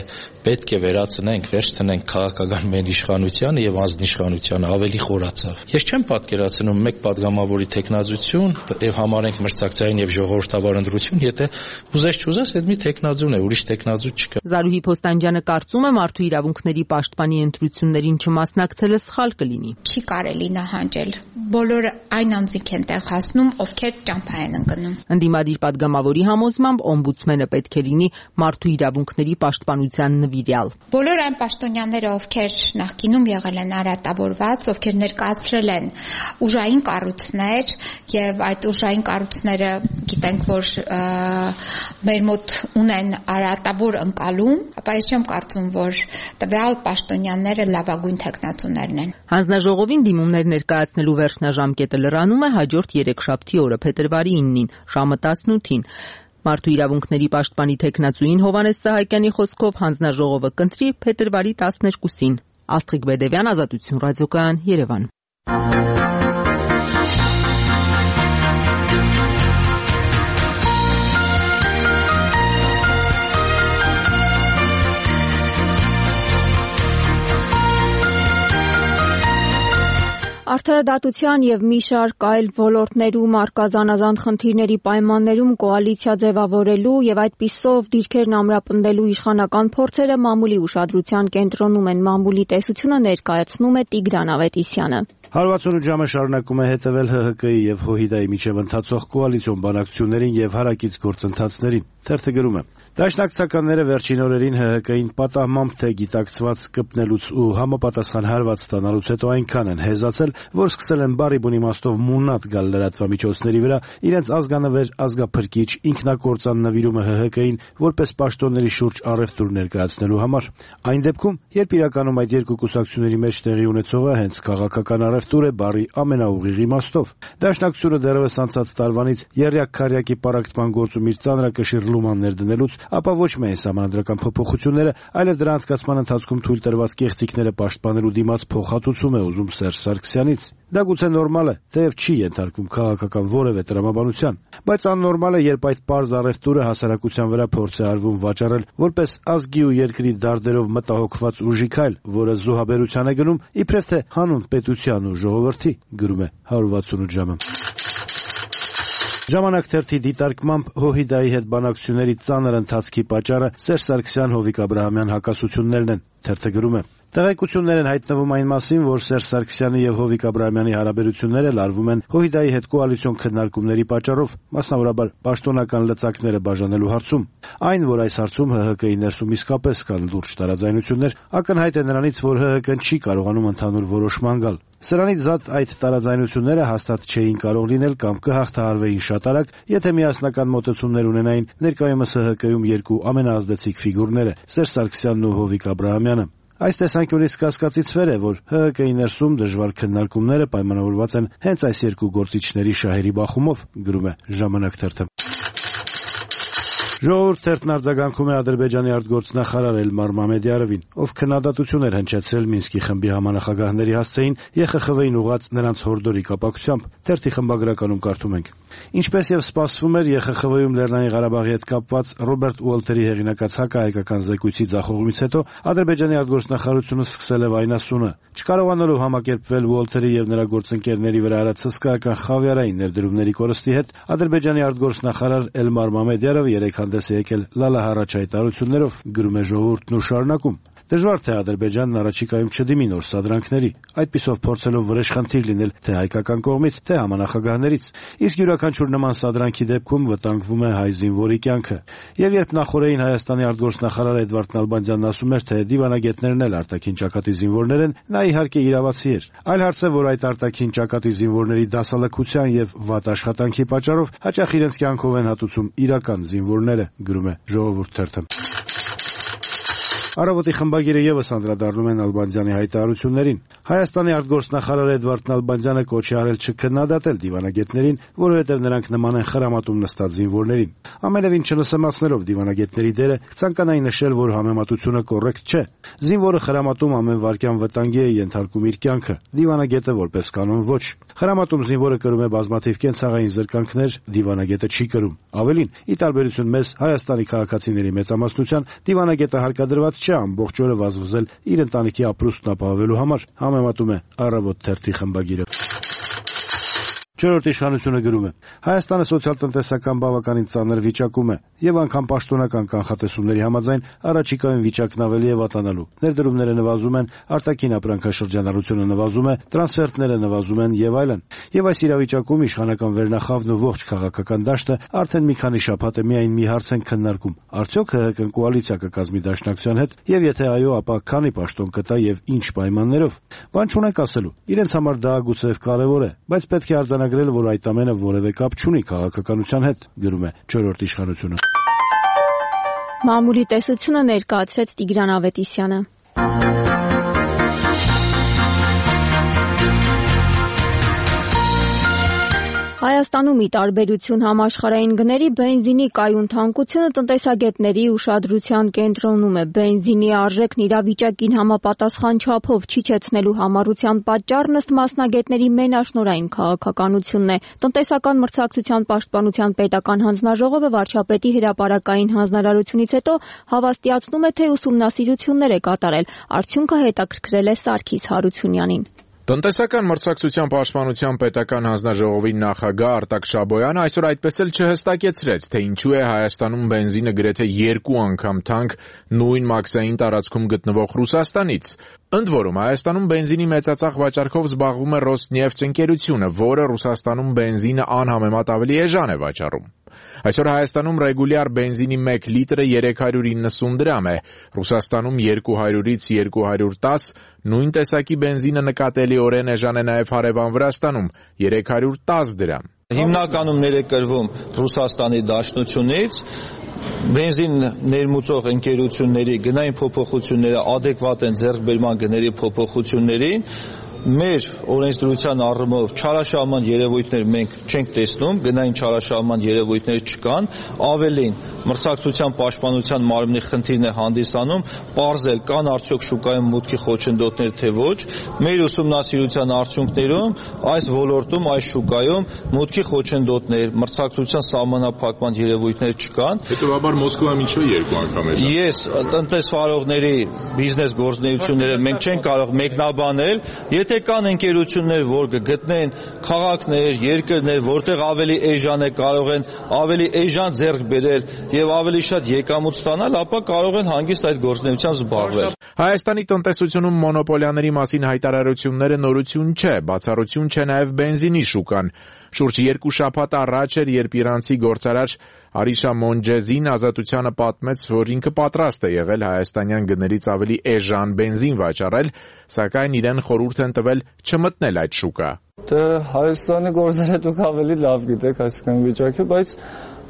պետք է վերացնենք, վերջ տնենք քաղաքական մեր իշխանությանը եւ անձնիշխանությանը, ավելի խորացավ։ Ես չեմ պատկերացնում մեկ падգամավորի տեխնազություն եւ համարենք մրցակցային եւ ժողովրդավար ընտրություն, եթե ուզես չուզես, այդ մի տեխնազուն է, ուրիշ տեխնազու չկա։ Զարուհի Փոստանջյանը կարծում է, մարդու իրավունքների պաշտպանի ընտրություններին չմասնակցելը սխալ կլինի։ Չի կարելի նահանջել։ Բոլորը այն անձինք են տեղ հասնում, ովքեր ճամփա են ընկնում։ Ընդդիմադիր падգամավորի համոզմամբ օմբուդսմենը պետք է լինի մարդու իրավունքների պաշտպանության նվիրյալ։ Բոլոր այն պաշտոնյաները, ովքեր նախկինում եղել են արատավորված, ովքեր ներկայացրել են ուժային կառույցներ եւ այդ ուժային կառույցները գիտենք, որ մեր մոտ ունեն արատավոր ընկալում, ապա ես չեմ կարծում, որ տվյալ պաշտոնյաները լավագույն տեխնատուներն են։ Հանձնաժողովին դիմումներ ներկայացնելու վերջնաժամկետը լրանում է հաջորդ երեքշաբթի օրը փետրվարի իննին, ժամը տասնութին։ Մարդու իրավունքների պաշտպանի տեխնացուին Հովհաննես Սահակյանի խոսքով հանձնաժողովը կընտրի փետրվարի տասներկուսին։ Աստղիկ Բեդևյան, Ազատություն ռադիոկայան, Երևան։ Արդարադատության եւ մի շարք այլ ոլորտներում առկա զանազան խնդիրների պայմաններում կոալիցիա ձևավորելու եւ այդպիսով դիրքերն ամրապնդելու իշխանական փորձերը մամուլի ուշադրության կենտրոնում են։ Մամուլի տեսությունը ներկայացնում է Տիգրան Ավետիսյանը։ հարվածունու ժամը շարունակում է հետևել Հ Հ Կի եւ Հոհիդայի միջև ընթացող կոալիցիոն բանակցություններին եւ հարակից գործընթացներին։ Թերթը գրում է. Դաշնակցականները վերջին օրերին Հ Հ Կին պատահմամբ թե գիտակցված կպնելուց ու համապատասխան հարված ստանալուց հետո այնքան են հեզացել, որ սկսել են բարի բուն իմաստով մունատ գալ լրատվամիջոցների վրա իրենց ազգանվեր ազգափրկիչ ինքնակործան նվիրումը Հ Հ Կին որպես պաշտոնների շուրջ առևտուր ներկայացնելու համար։ Այն դեպքում, երբ իրականում այդ երկու կուսակցությունների մեջ տեղի ունեցողը հենց քաղաքական առևտուր է բարի ամենաուղիղ իմաստով։ Դաշնակցությունը դեռևս անցած տարվանից եռյակ-քառյակի պարակտման գործում իր ծանրակշիռ լումաններ դնելուց, ապա ոչ միայն սահմանադրական փոփոխությունները, այլև դրա անցկացման ընթացքում թույլ տրված կեղծիքները պաշտպանելու դիմաց փոխհատուցում է ուզում Սերժ Սարգսյանից։ Դա գուցե նորմալ է, թեև չի ենթարկվում քաղաքական որևէ տրամաբանության, բայց աննորմալ է, երբ այդ պարզ առևտուրը հասարակության վրա փորձ է արվում վաճառել որպես ազգի ու երկրի դարդերով մտահոգված ուժի քայլ, որը զոհաբերության է գնում, իբրև թե հանուն պետության ու ժողովրդի, գրում է հարյուր վաթսունութ ժամը։ Ժամանակ թերթի դիտարկմամբ Հոհիդայի հետ բանակցությունների ծանր ընթացքի պատճառը Սերժ Սարգսյան-Հովիկ Աբրահամյան հակասություններն են։ Թերթը գրում է. Տեղեկություններ են հայտնվում այն մասին, որ Սերժ Սարգսյանի եւ Հովիկ Աբրահամյանի հարաբերությունները լարվում են Հոհիդայի հետ կոալիցիոն քննարկումների պատճառով, մասնավորաբար պաշտոնական լծակները բաժանելու հարցում։ Այն, որ այս հարցում Հ Հ Կի ներսում իսկապես կան լուրջ տարաձայնություններ, ակնհայտ է նրանից, որ Հ Հ Կն չի կարողանում ընդհանուր որոշման գալ։ Սրանից զատ այդ տարաձայնությունները հաստատ չէին կարող լինել կամ կհաղթահարվեին շատ արագ, եթե միասնական մոտեցումներ ունենային ներկայումս Հ Հ Կում երկու ամենաազդեցիկ ֆիգուրները՝ Սերժ Սարգսյանն ու Հովիկ Աբրահամյանը։ Այս տեսանկյունից կասկածից վեր է, որ Հ Հ Կի ներսում դժվար քննարկումները պայմանավորված են հենց այս երկու գործիչների շահերի բախումով, գրում է Ժամանակ թերթը։ Ժողովուրդ թերթն արձագանքում է Ադրբեջանի արտգործնախարար Էլմար Մամեդյարովին, ով քննադատություն էր հնչեցրել Մինսկի խմբի համանախագահների հասցեին Ե Խ Խ V-ին ուղղած նրանց հորդորի կապակցությամբ։ Թերթի խմբագրականում կարդում ենք. Ինչպես եւ սպասվում էր, Ե Խ Խ V-ում Լեռնային Ղարաբաղի հետ կապված Ռոբերտ Ուոլթերի հեղինակած հակահայկական զեկույցի ձախողումից հետո Ադրբեջանի արտգործնախարարությունը սկսել է վայնասունը։ Չկարողանալով համակերպվել Ուոլթերի եւ նրա գործընկերների վրա արած հսկայական խավիարային ներդրումների կորստի հետ, Ադրբեջանի արտգործնախարար Էլմար Մամեդյարովը երեք հանդես է եկել լալահառաչ հայտարարություններով, գրում է Ժողովուրդն ու շարունակում. Դժվար թե Ադրբեջանն առաջիկայում չդիմի նոր սադրանքների, այդպիսով փորձելով վրեժխնդիր լինել թե հայկական կողմից, թե համանախագահներից։ Իսկ յուրաքանչյուր նման սադրանքի դեպքում վտանգվում է հայ զինվորի կյանքը։ Եվ երբ նախորդային Հայաստանի արտգործնախարար Էդվարդ Նալբանդյանն ասում էր, թե դիվանագետներն էլ արտաքին ճակատի զինվորներ են, նա իհարկե իրավացի էր։ Այլ հարց է, որ այդ արտաքին ճակատի զինվորների դասալքության եւ վատ աշխատանքի պատճառով հաճախ իրենց կյանքով են հատուցում իրական զինվորները, գրում է Ժողովուրդ թերթը։ Առավոտի խմբագիրը ևս անդրադառնում է Նալբանդյանի հայտարարություններին։ Հայաստանի արտգործնախարար Էդվարդ Նալբանդյանը կոչ է արել չքննադատել դիվանագետներին, որովհետև նրանք նման են խրամատում նստած զինվորներին։ Ամենևին չնսեմացնելով դիվանագետների դերը, կցանկանայի նշել, որ համեմատությունը կոռեկտ չէ։ Զինվորը խրամատում ամեն վայրկյան վտանգի է ենթարկում իր կյանքը, դիվանագետը որպես կանոն ոչ։ Խրամատում զինվորը կրում է բազմաթիվ կենցաղային զրկանքներ, դիվանագետը չի կրում։ Ավելին, ի տարբերություն մեզ Հայաստանի քաղաքացիների մեծամասնության, դիվանագետը հարկադրված չէ ամբողջ օրը վազվզել իր ընտանիքի ապրուստն ապահովելու համար, համեմատում է Առավոտ թերթի խմբագիրը։ Չորրորդ իշխանությունը գրում է. Հայաստանը սոցիալ-տնտեսական բավականին ծանր վիճակում է եւ անգամ պաշտոնական կանխատեսումների համաձայն առաջիկայում վիճակն ավելի է վատանալու։ Ներդրումները նվազում են, արտաքին ապրանքաշրջանառությունը նվազում է, տրանսֆերտները նվազում են եւ այլն։ Եվ այս իրավիճակում իշխանական վերնախավն ու ողջ քաղաքական դաշտը արդեն մի քանի շաբաթ է միայն մի հարց են քննարկում. արդյոք ՀՀԿ-ն կոալիցիա կկազմի Դաշնակցության հետ եւ եթե այո, ապա քանի պաշտոն կտա եւ ինչ պայմաններով։ Բան չունենք ասելու։ Իրենց համար դա գուցե կարեւոր է, բայց պետք է արձանագրել, որ այդ ամենը որևէ կապ չունի քաղաքականության հետ, գրում է չորրորդ իշխանությունը։ Մամուլի տեսությունը ներկայացրեց Տիգրան Ավետիսյանը։ Հայաստանում ի տարբերություն համաշխարհային գների բենզինի կայուն թանկությունը տնտեսագետների ուշադրության կենտրոնում է։ Բենզինի արժեքն իրավիճակին համապատասխան չափով չիջեցնելու համառության պատճառն ըստ մասնագետների մենաշնորհային քաղաքականությունն է։ Տնտեսական մրցակցության պաշտպանության պետական հանձնաժողովը վարչապետի հրապարակային հանձնարարությունից հետո հավաստիացնում է, թե ուսումնասիրություններ է կատարել։ Արդյունքը հետաքրքրել է Սարգիս Հարությունյանին։ Տնտեսական մրցակցության պաշտպանության պետական հանձնաժողովի նախագահ Արտակ Շաբոյանը այսօր այդպես էլ չհստակեցրեց, թե ինչու է Հայաստանում բենզինը գրեթե երկու անգամ թանկ նույն մաքսային տարածքում գտնվող Ռուսաստանից։ Ընդ որում, Հայաստանում բենզինի մեծածախ վաճառքով զբաղվում է Ռոսնեֆթ ընկերությունը, որը Ռուսաստանում բենզինը անհամեմատ ավելի էժան է վաճառում։ Այսօր Հայաստանում ռեգուլյար բենզինի մեկ լիտրը երեք հարյուր իննսուն դրամ է, Ռուսաստանում երկու հարյուրից երկու հարյուր տաս, նույն տեսակի բենզինը նկատելիորեն էժան է նաև հարևան Վրաստանում՝ երեք հարյուր տաս դրամ։ Հիմնականում ներկրվում Ռուսաստանի Դաշնությունից բենզին ներմուծող ընկերությունների գնային փոփոխությունները ադեկվատ են ձեռքբերման գների փոփոխություններին։ Մեր օրենսդրության առումով չարաշահման երևույթներ մենք չենք տեսնում, գնային չարաշահման երևույթներ չկան, ավելին մրցակցության պաշտպանության մարմնի խնդիրն է հանդիսանում, պարզել կան արդյոք շուկայում մուտքի խոչընդոտներ թե ոչ, մեր ուսումնասիրության արդյունքներում այս ոլորտում, այս շուկայում մուտքի խոչընդոտներ, մրցակցության սահմանափակման երևույթներ չկան։ Հետևաբար Մոսկվայում ինչու երկու անգամ է։ Ես տնտեսվարողների բիզնես գործունեությունները մենք չենք կարող մեկնաբանել, եթե կան ընկերություններ, որ կգտնեն քաղաքներ, երկրներ, որտեղ ավելի էժան է, կարող են ավելի էժան ձեռք բերել եւ ավելի շատ եկամուտ ստանալ, ապա կարող են հանգիստ այդ գործունեությամբ զբաղվել։ Հայաստանի տնտեսությունում մոնոպոլիաների մասին հայտարարությունները նորություն չէ, բացառություն չէ նաև բենզինի շուկան։ Շուրջ երկու շաբաթ առաջ էր, երբ իրանցի գործարար Արիշա Մոնջեզին Ազատությանը պատմեց, որ ինքը պատրաստ է եղել հայաստանյան գներից ավելի էժան բենզին վաճառել, սակայն իրեն խորհուրդ են տվել չմտնել այդ շուկա։ Դե Հայաստանի գործարարը դուք ավելի լավ գիտեք այսքան վիճակը, բայց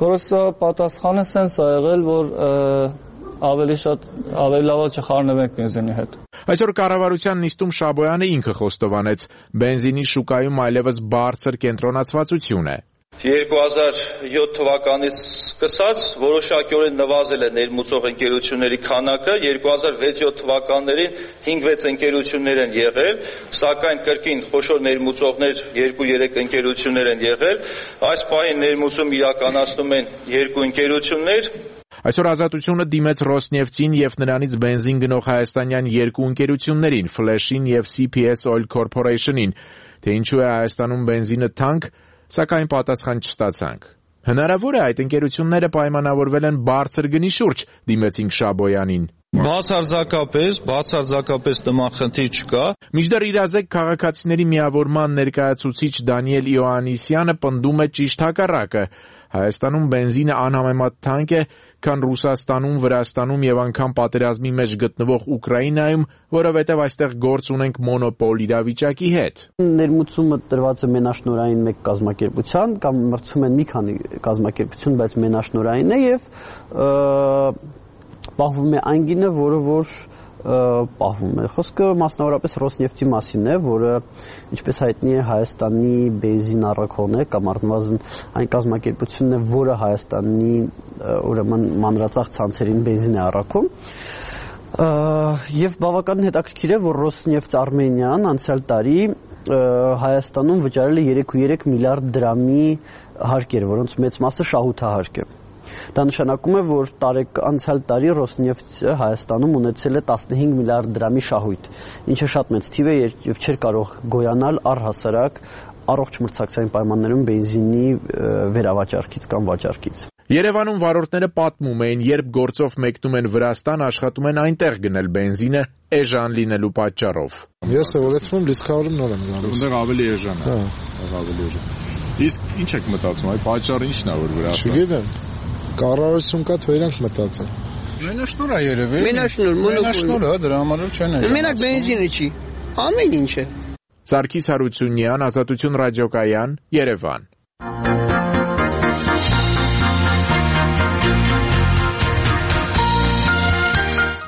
որոշ պատասխանը սենց ա եղել, որ ավելի շատ ավելի լավ չխառնվենք բենզինի հետ։ Այսօր կառավարության նիստում Շաբոյանը ինքը խոստովանեց, բենզինի շուկայում այլևս բարձր կենտրոնացվածություն է։ երկու հազար յոթ թվականից սկսած որոշակիորեն նվազել է ներմուծող ընկերությունների քանակը, երկու հազար վեց յոթ թվականներին հինգ-վեց ընկերություններ են եղել, սակայն կրկին խոշոր ներմուծողներ երկու երեք ընկերություններ են եղել, այս պահին ներմուծում իրականացնում են երկու ընկերություններ։ Այսօր Ազատությունը դիմեց Ռոսնեֆտին եւ նրանից բենզին գնող հայաստանյան երկու ընկերություններին՝ Ֆլեշին եւ Սի Փի Էս Oil Corporation-ին, թե ինչու է Հայաստանում բենզինը թանկ, սակայն պատասխան չստացանք։ Հնարավոր է այդ ընկերությունները պայմանավորվել են բարձր գնի շուրջ, դիմեցինք Շաբոյանին։ Բացարձակապես, բացարձակապես նման խնդիր չկա։ Մինչդեռ իրազեկ քաղաքացիների միավորման ներկայացուցիչ Դանիել Իոաննիսյանը պնդում է ճիշտ հակառակը։ Հայաստանում բենզինը անհամեմատ թանկ է, քան Ռուսաստանում, Վրաստանում եւ անգամ պատերազմի մեջ գտնվող Ուկրաինայում, որովհետեւ այստեղ գործ ունենք մոնոպոլ իրավիճակի հետ։ Ներմուծումը տրված է մենաշնորհային մեկ կազմակերպության կամ մրցում են մի քանի կազմակերպություն, բայց մենաշնորհային է եւ պահվում է այն գինը, որը որ պահվում է։ Խոսքը մասնավորապես Ռոսնեֆտի մասին է, որը ինչպես հայտնի է Հայաստանի բենզին առաքողն է կամ առնվազն այն կազմակերպությունն է, որը Հայաստանի ուրեմն մանրածախ ցանցերին բենզին է առաքում։ Եվ բավականին հետաքրքիր է, որ Ռոսնեֆտ Արմենիան անցյալ տարի Հայաստանում վճարել է երեք կόμμα երեք միլիարդ դրամի հարկեր, որոնց մեծ մասը շահութահարկ է։ Դա նշանակում է, որ տարեկ անցյալ տարի Ռոսնեֆտը Հայաստանում ունեցել է տասնհինգ միլիարդ դրամի շահույթ, ինչը շատ մեծ թիվ է եւ չէր կարող գոյանալ առհասարակ առողջ մրցակցային պայմաններում բենզինի վերավաճառքից կամ վաճառքից։ Երևանում վարորդները պատմում էին, երբ գործով մեկնում են Վրաստան, աշխատում են այնտեղ գնել բենզինը էժան լինելու պատճառով։ Ես սովորեցնում լիսխավորում նոր եմ գալիս։ Այնտեղ ավելի էժան է։ Հա, ավելի էժան։ Իսկ ինչ եք մտածում, այդ պատճառը ի՞նչն է, որ Վրաստան։ Չգիտեմ։ Կառավարություն կա, թե իրանք մտածեն։ Մենաշնոր է երևի։ Մենաշնոր, մենաշնոր է, դրա համար չեն էժան։ Մենակ բենզինը չի։ Ամեն ինչ է։ Սարգիս Հարությունյան, Ազատություն ռադիոկայան, Երևան։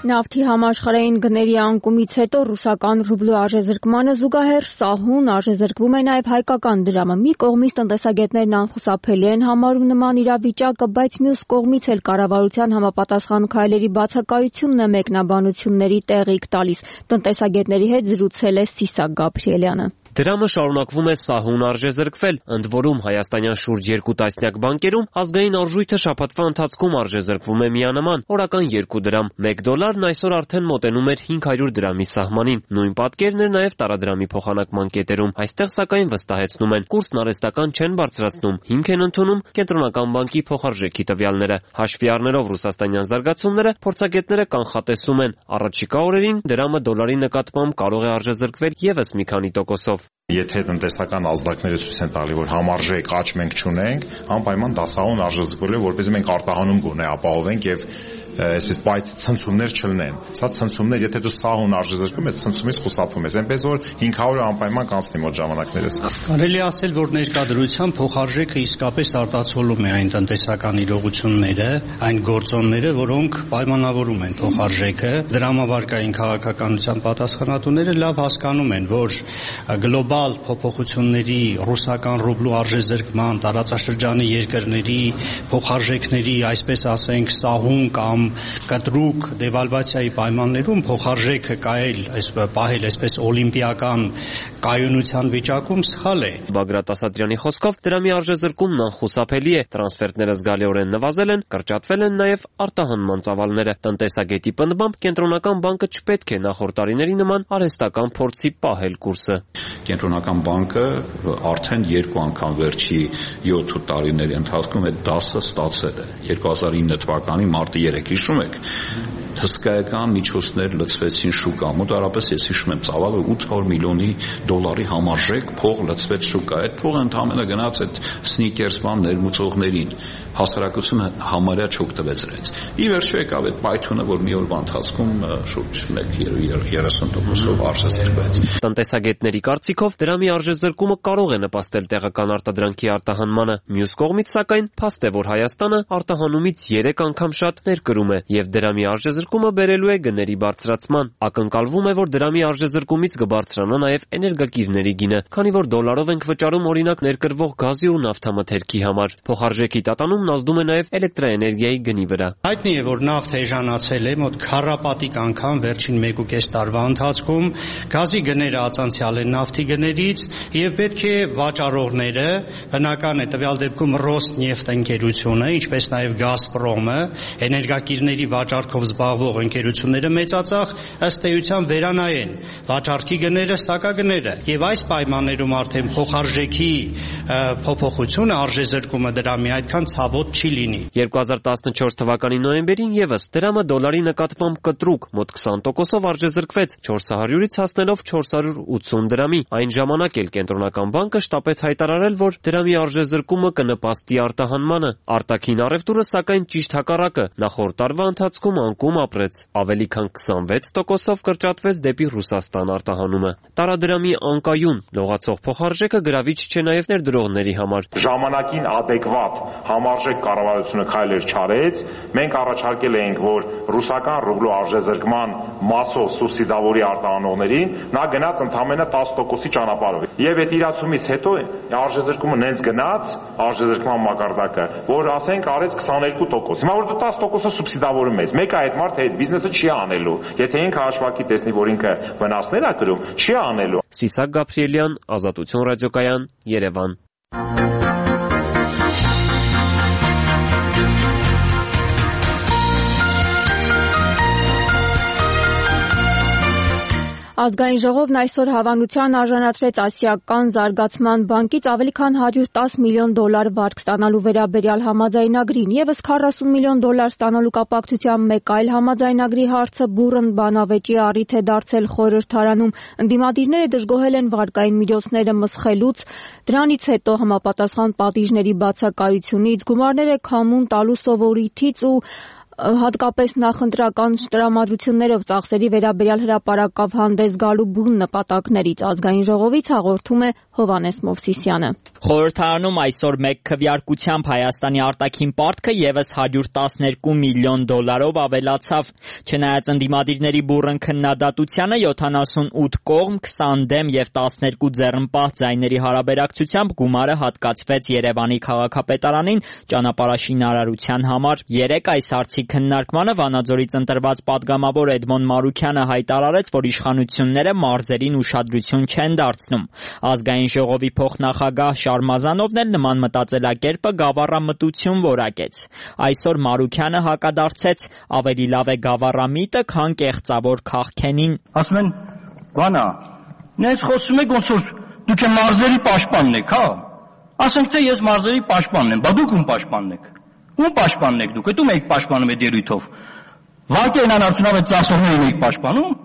Նավթի համաշխարհային գների անկումից հետո ռուսական ռուբլու արժեզրկմանը զուգահեռ սահուն արժեզրկվում է նաև հայկական դրամը։ Մի կողմից տնտեսագետներն անխուսափելի են համարում նման իրավիճակը, բայց մյուս կողմից էլ կառավարության համապատասխան քայլերի բացակայությունն է մեկնաբանությունների տեղիք տալիս։ Տնտեսագետների հետ զրուցել է Սիսակ Գաբրիելյանը։ Դրամը շարունակվում է սահուն արժեզրկվել, ընդ որում հայաստանյան շուրջ երկու տասնյակ բանկերում ազգային արժույթը շաբաթվա ընթացքում արժեզրկվում է միանման, օրական երկու դրամ։ մեկ դոլարն այսօր արդեն մոտենում էր հինգ հարյուր դրամի սահմանին։ Նույն պատկերն էր նաև տարադրամի փոխանակման կետերում։ Այստեղ սակայն վստահեցնում են, կուրսն արհեստական չեն բարձրացնում, հիմք են ընդունում կենտրոնական բանկի փոխարժեքի տվյալները։ Հաշվի առնելով ռուսաստանյան զարգացումները, փորձագետները կանխատեսում են, առաջիկա օրերին դրամը դոլարի նկատմամբ կարող է արժեզրկվել ևս մի քանի տոկոսով։ Եթե տնտեսական ազդակները ցույց են տալի, որ համարժեք աճ մենք չունենք, անպայման դա սահուն արժեզրկվել է, որպեսզի մենք արտահանում գոնե ապահովենք եւ այսպես բայց ցնցումներ չլինեն։ Սա ցնցումներ, եթե դու սահուն արժեզրկում ես, ցնցումից խուսափում ես, այնպես որ հինգ հարյուրը անպայման կանցնի մոտ ժամանակներս։ Կարելի ասել, որ ներկայդրությամբ փոխարժեքը իսկապես արտացոլում է այն տնտեսական իրողությունները, այն գործոնները, որոնք պայմանավորում են փոխարժեքը։ Դրամավարկային քաղաքականության պատասխանատուները լավ հասկանում են, որ գլոբալ փոփոխությունների, ռուսական ռուբլու արժեզրկման, տարածաշրջանի երկրների փոխարժեքների, այսպես ասենք, սահուն կամ կտրուկ դեվալվացիայի պայմաններում փոխարժեքը կայել, այսպես պահել, այսպես օլիմպիական կայունության վիճակում սխալ է։ Բագրատ Ասատրյանի խոսքով դրամի արժեզրկումն անխուսափելի է, տրանսֆերտները զգալիորեն նվազել են, կրճատվել են նաև արտահանման ծավալները։ Տնտեսագետի պնդմամբ կենտրոնական բանկը չպետք է նախորդ տարիների նման արհեստական փորձի պահել կուրսը։ Կենտրոնական բանկը արդեն երկու անգամ վերջի յոթ տարիների ընթացքում այդ դասը ստացել է։ երկու հազար ինը թվականի մարտի երեք հիշում եք, հսկայական միջոցներ լցվեցին շուկա, մոտարապես ես հիշում եմ ծավալը ութ հարյուր միլիոնի դոլարի համարժեք փող լցվեց շուկա։ Այդ փողը ընդհանրապես գնաց այդ սնիկերս բան ներմուծողներին, հասարակությունը համարյա չօգտվեց իրենց։ Ի վերջո եկավ այդ պայթյունը, որ մի օրվա ընթացքում շուրջ երեսուն տոկոսով արժեզրկվեց։ Տնտեսագետների կարծիքով դրամի արժեզրկումը կարող է նպաստել տեղական արտադրանքի արտահանմանը։ Մյուս կողմից սակայն փաստ է, որ Հայաստանը արտահանումից երեք անգամ շատ ներկրում է եւ դրամի արժեզրկումը բերելու է գների բարձրացման։ Ակնկալվում է, որ դրամի արժեզրկումից կբարձրանա նաեւ էներգակիրների գինը, քանի որ դոլարով ենք վճարում օրինակ ներկրվող գազի ու նավթամթերքի համար։ Փոխարժեքի տատանումն ազդում է նաեւ էլեկտրաէներգիայի գնի վրա։ Հայտնի է, որ նավթը էժանացել է մոտ քառապատիկ անգամ վերջին մեկ ու կես տարվա ընթացքում, գազի գները ածանցյալ են նավթի գներից եւ պետք է վաճառողները, բնական է տվյալ դեպքում Ռոսնեֆտ ընկերությունը, ինչպես նաեւ Գազպրոմը, էներգակիրների վաճառքով զբաղվող ընկերությունները մեծածախ ըստ էության վերանայեն վաճառքի գները, սակագները եւ այս պայմաններում արդեն փոխարժեքի փոփոխությունը, արժեզրկումը դրամի այդքան ցավոտ չի լինի։ երկու հազար տասնչորս թվականի նոյեմբերին եւս դրամը դոլարի նկատմամբ կտրուկ մոտ քսան տոկոսով արժեզրկվեց չորս հարյուրից հասնելով չորս հարյուր ութսուն դրամի։ Այն ժամանակ էլ կենտրոնական բանկը շտապեց հայտարարել, որ դրամի արժեզրկումը կնպաստի արտահանմանը։ Արտաքին առևտուրը սակայն ճիշտ հակառակը նախորդ տարվա ընթացքում անկում ապրեց, ավելի քան քսանվեց տոկոսով կրճատվեց դեպի Ռուսաստան արտահանումը։ Տարադրամի անկայուն լողացող փոխարժեքը գրավիչ չէ նաև ներդրողների համար։ Ժամանակին adekvat համարժեք կառավարությունը քայլեր չարեց, մենք առաջարկել էինք, որ ռուսական ռուբլու արժեզրկման մասով սուբսիդավորի արտահանողներին, նա գնաց ընդամենը տասը տոկոսի ճանապարհով։ Եվ այդ իրացումից հետո արժեզրկումը նենց գնաց, արժեզրկման մակարդակը, որ ասենք արեց քսաներկու տոկոս։ Հիմա որ դու տասը տոկոսը սուբսիդավորում ես, մեկը այդ մարդը այդ բիզնեսը չի անելու։ Եթե ինքը հաշվարկի տեսնի, որ ինքը վնասներ ա կրում, չի անելու։ Սիսակ Գաբրիելյան, Ազատություն ռադիոկայան, Երևան։ Ազգային ժողովն այսօր հավանության արժանացրեց Ասիական զարգացման բանկից ավելի քան հարյուր տասը միլիոն դոլար վարկ ստանալու վերաբերյալ համաձայնագրին, եւս քառասուն միլիոն դոլար ստանալու կապակցությամբ մեկ այլ համաձայնագրի հարցը բուռն բանավեճի առիթ է դարձել խորհրդարանում։ Ընդդիմադիրները դժգոհել են վարկային միջոցները մսխելուց, դրանից հետո համապատասխան պատիժների բացակայությունից, գումարները քամուն տալու սովորույթից ու հատկապես նախընտրական տրամադրություններով ծախսերի վերաբերյալ հրապարակավ հանդես գալու բուն նպատակներից ազգային ժողովից հաղորդում է Հովհաննես Մովսիսյանը։ Խորհրդարանում այսօր մեկ քվեարկությամբ Հայաստանի արտաքին պարտքը եւս հարյուր տասներկու միլիոն դոլարով ավելացավ։ Չնայած ընդդիմադիրների բուռն քննադատությանը յոթանասունութ կողմ, քսան դեմ եւ տասներկու ձեռնպահ ձայների հարաբերակցությամբ գումարը հատկացվեց Երևանի քաղաքապետարանին ճանապարհաշինարարության համար։ Երեկ այս հարցի քննարկմանը Վանաձորից ընտրված падգամավոր Էդմոն Մարուքյանը հայտարարեց, որ իշխանությունները մարզերին ուշադրություն չեն դարձնում։ Ազգային ժողովի փոխնախագահ Շարմազանովն էլ նման մտածելակերպը գավառամտություն որակեց։ Այսօր Մարուքյանը հակադարձեց, ավելի լավ է գավառամիտը, քան կեղծավոր քաղքենին։ Ասում են, բանա, նես խոսում եք ոնց որ դուք մարզերի պաշտպանն եք, հա։ Ասենք թե ես մարզերի պաշտպանն եմ, բա դուք ում պաշտպանն եք։ Ում պաշտպանն եք դուք, ո՞ւմ եք պաշտպանում այդ երույթով։ Վարկերն անարդյունավետ ծախսողներին եք պաշտպանում,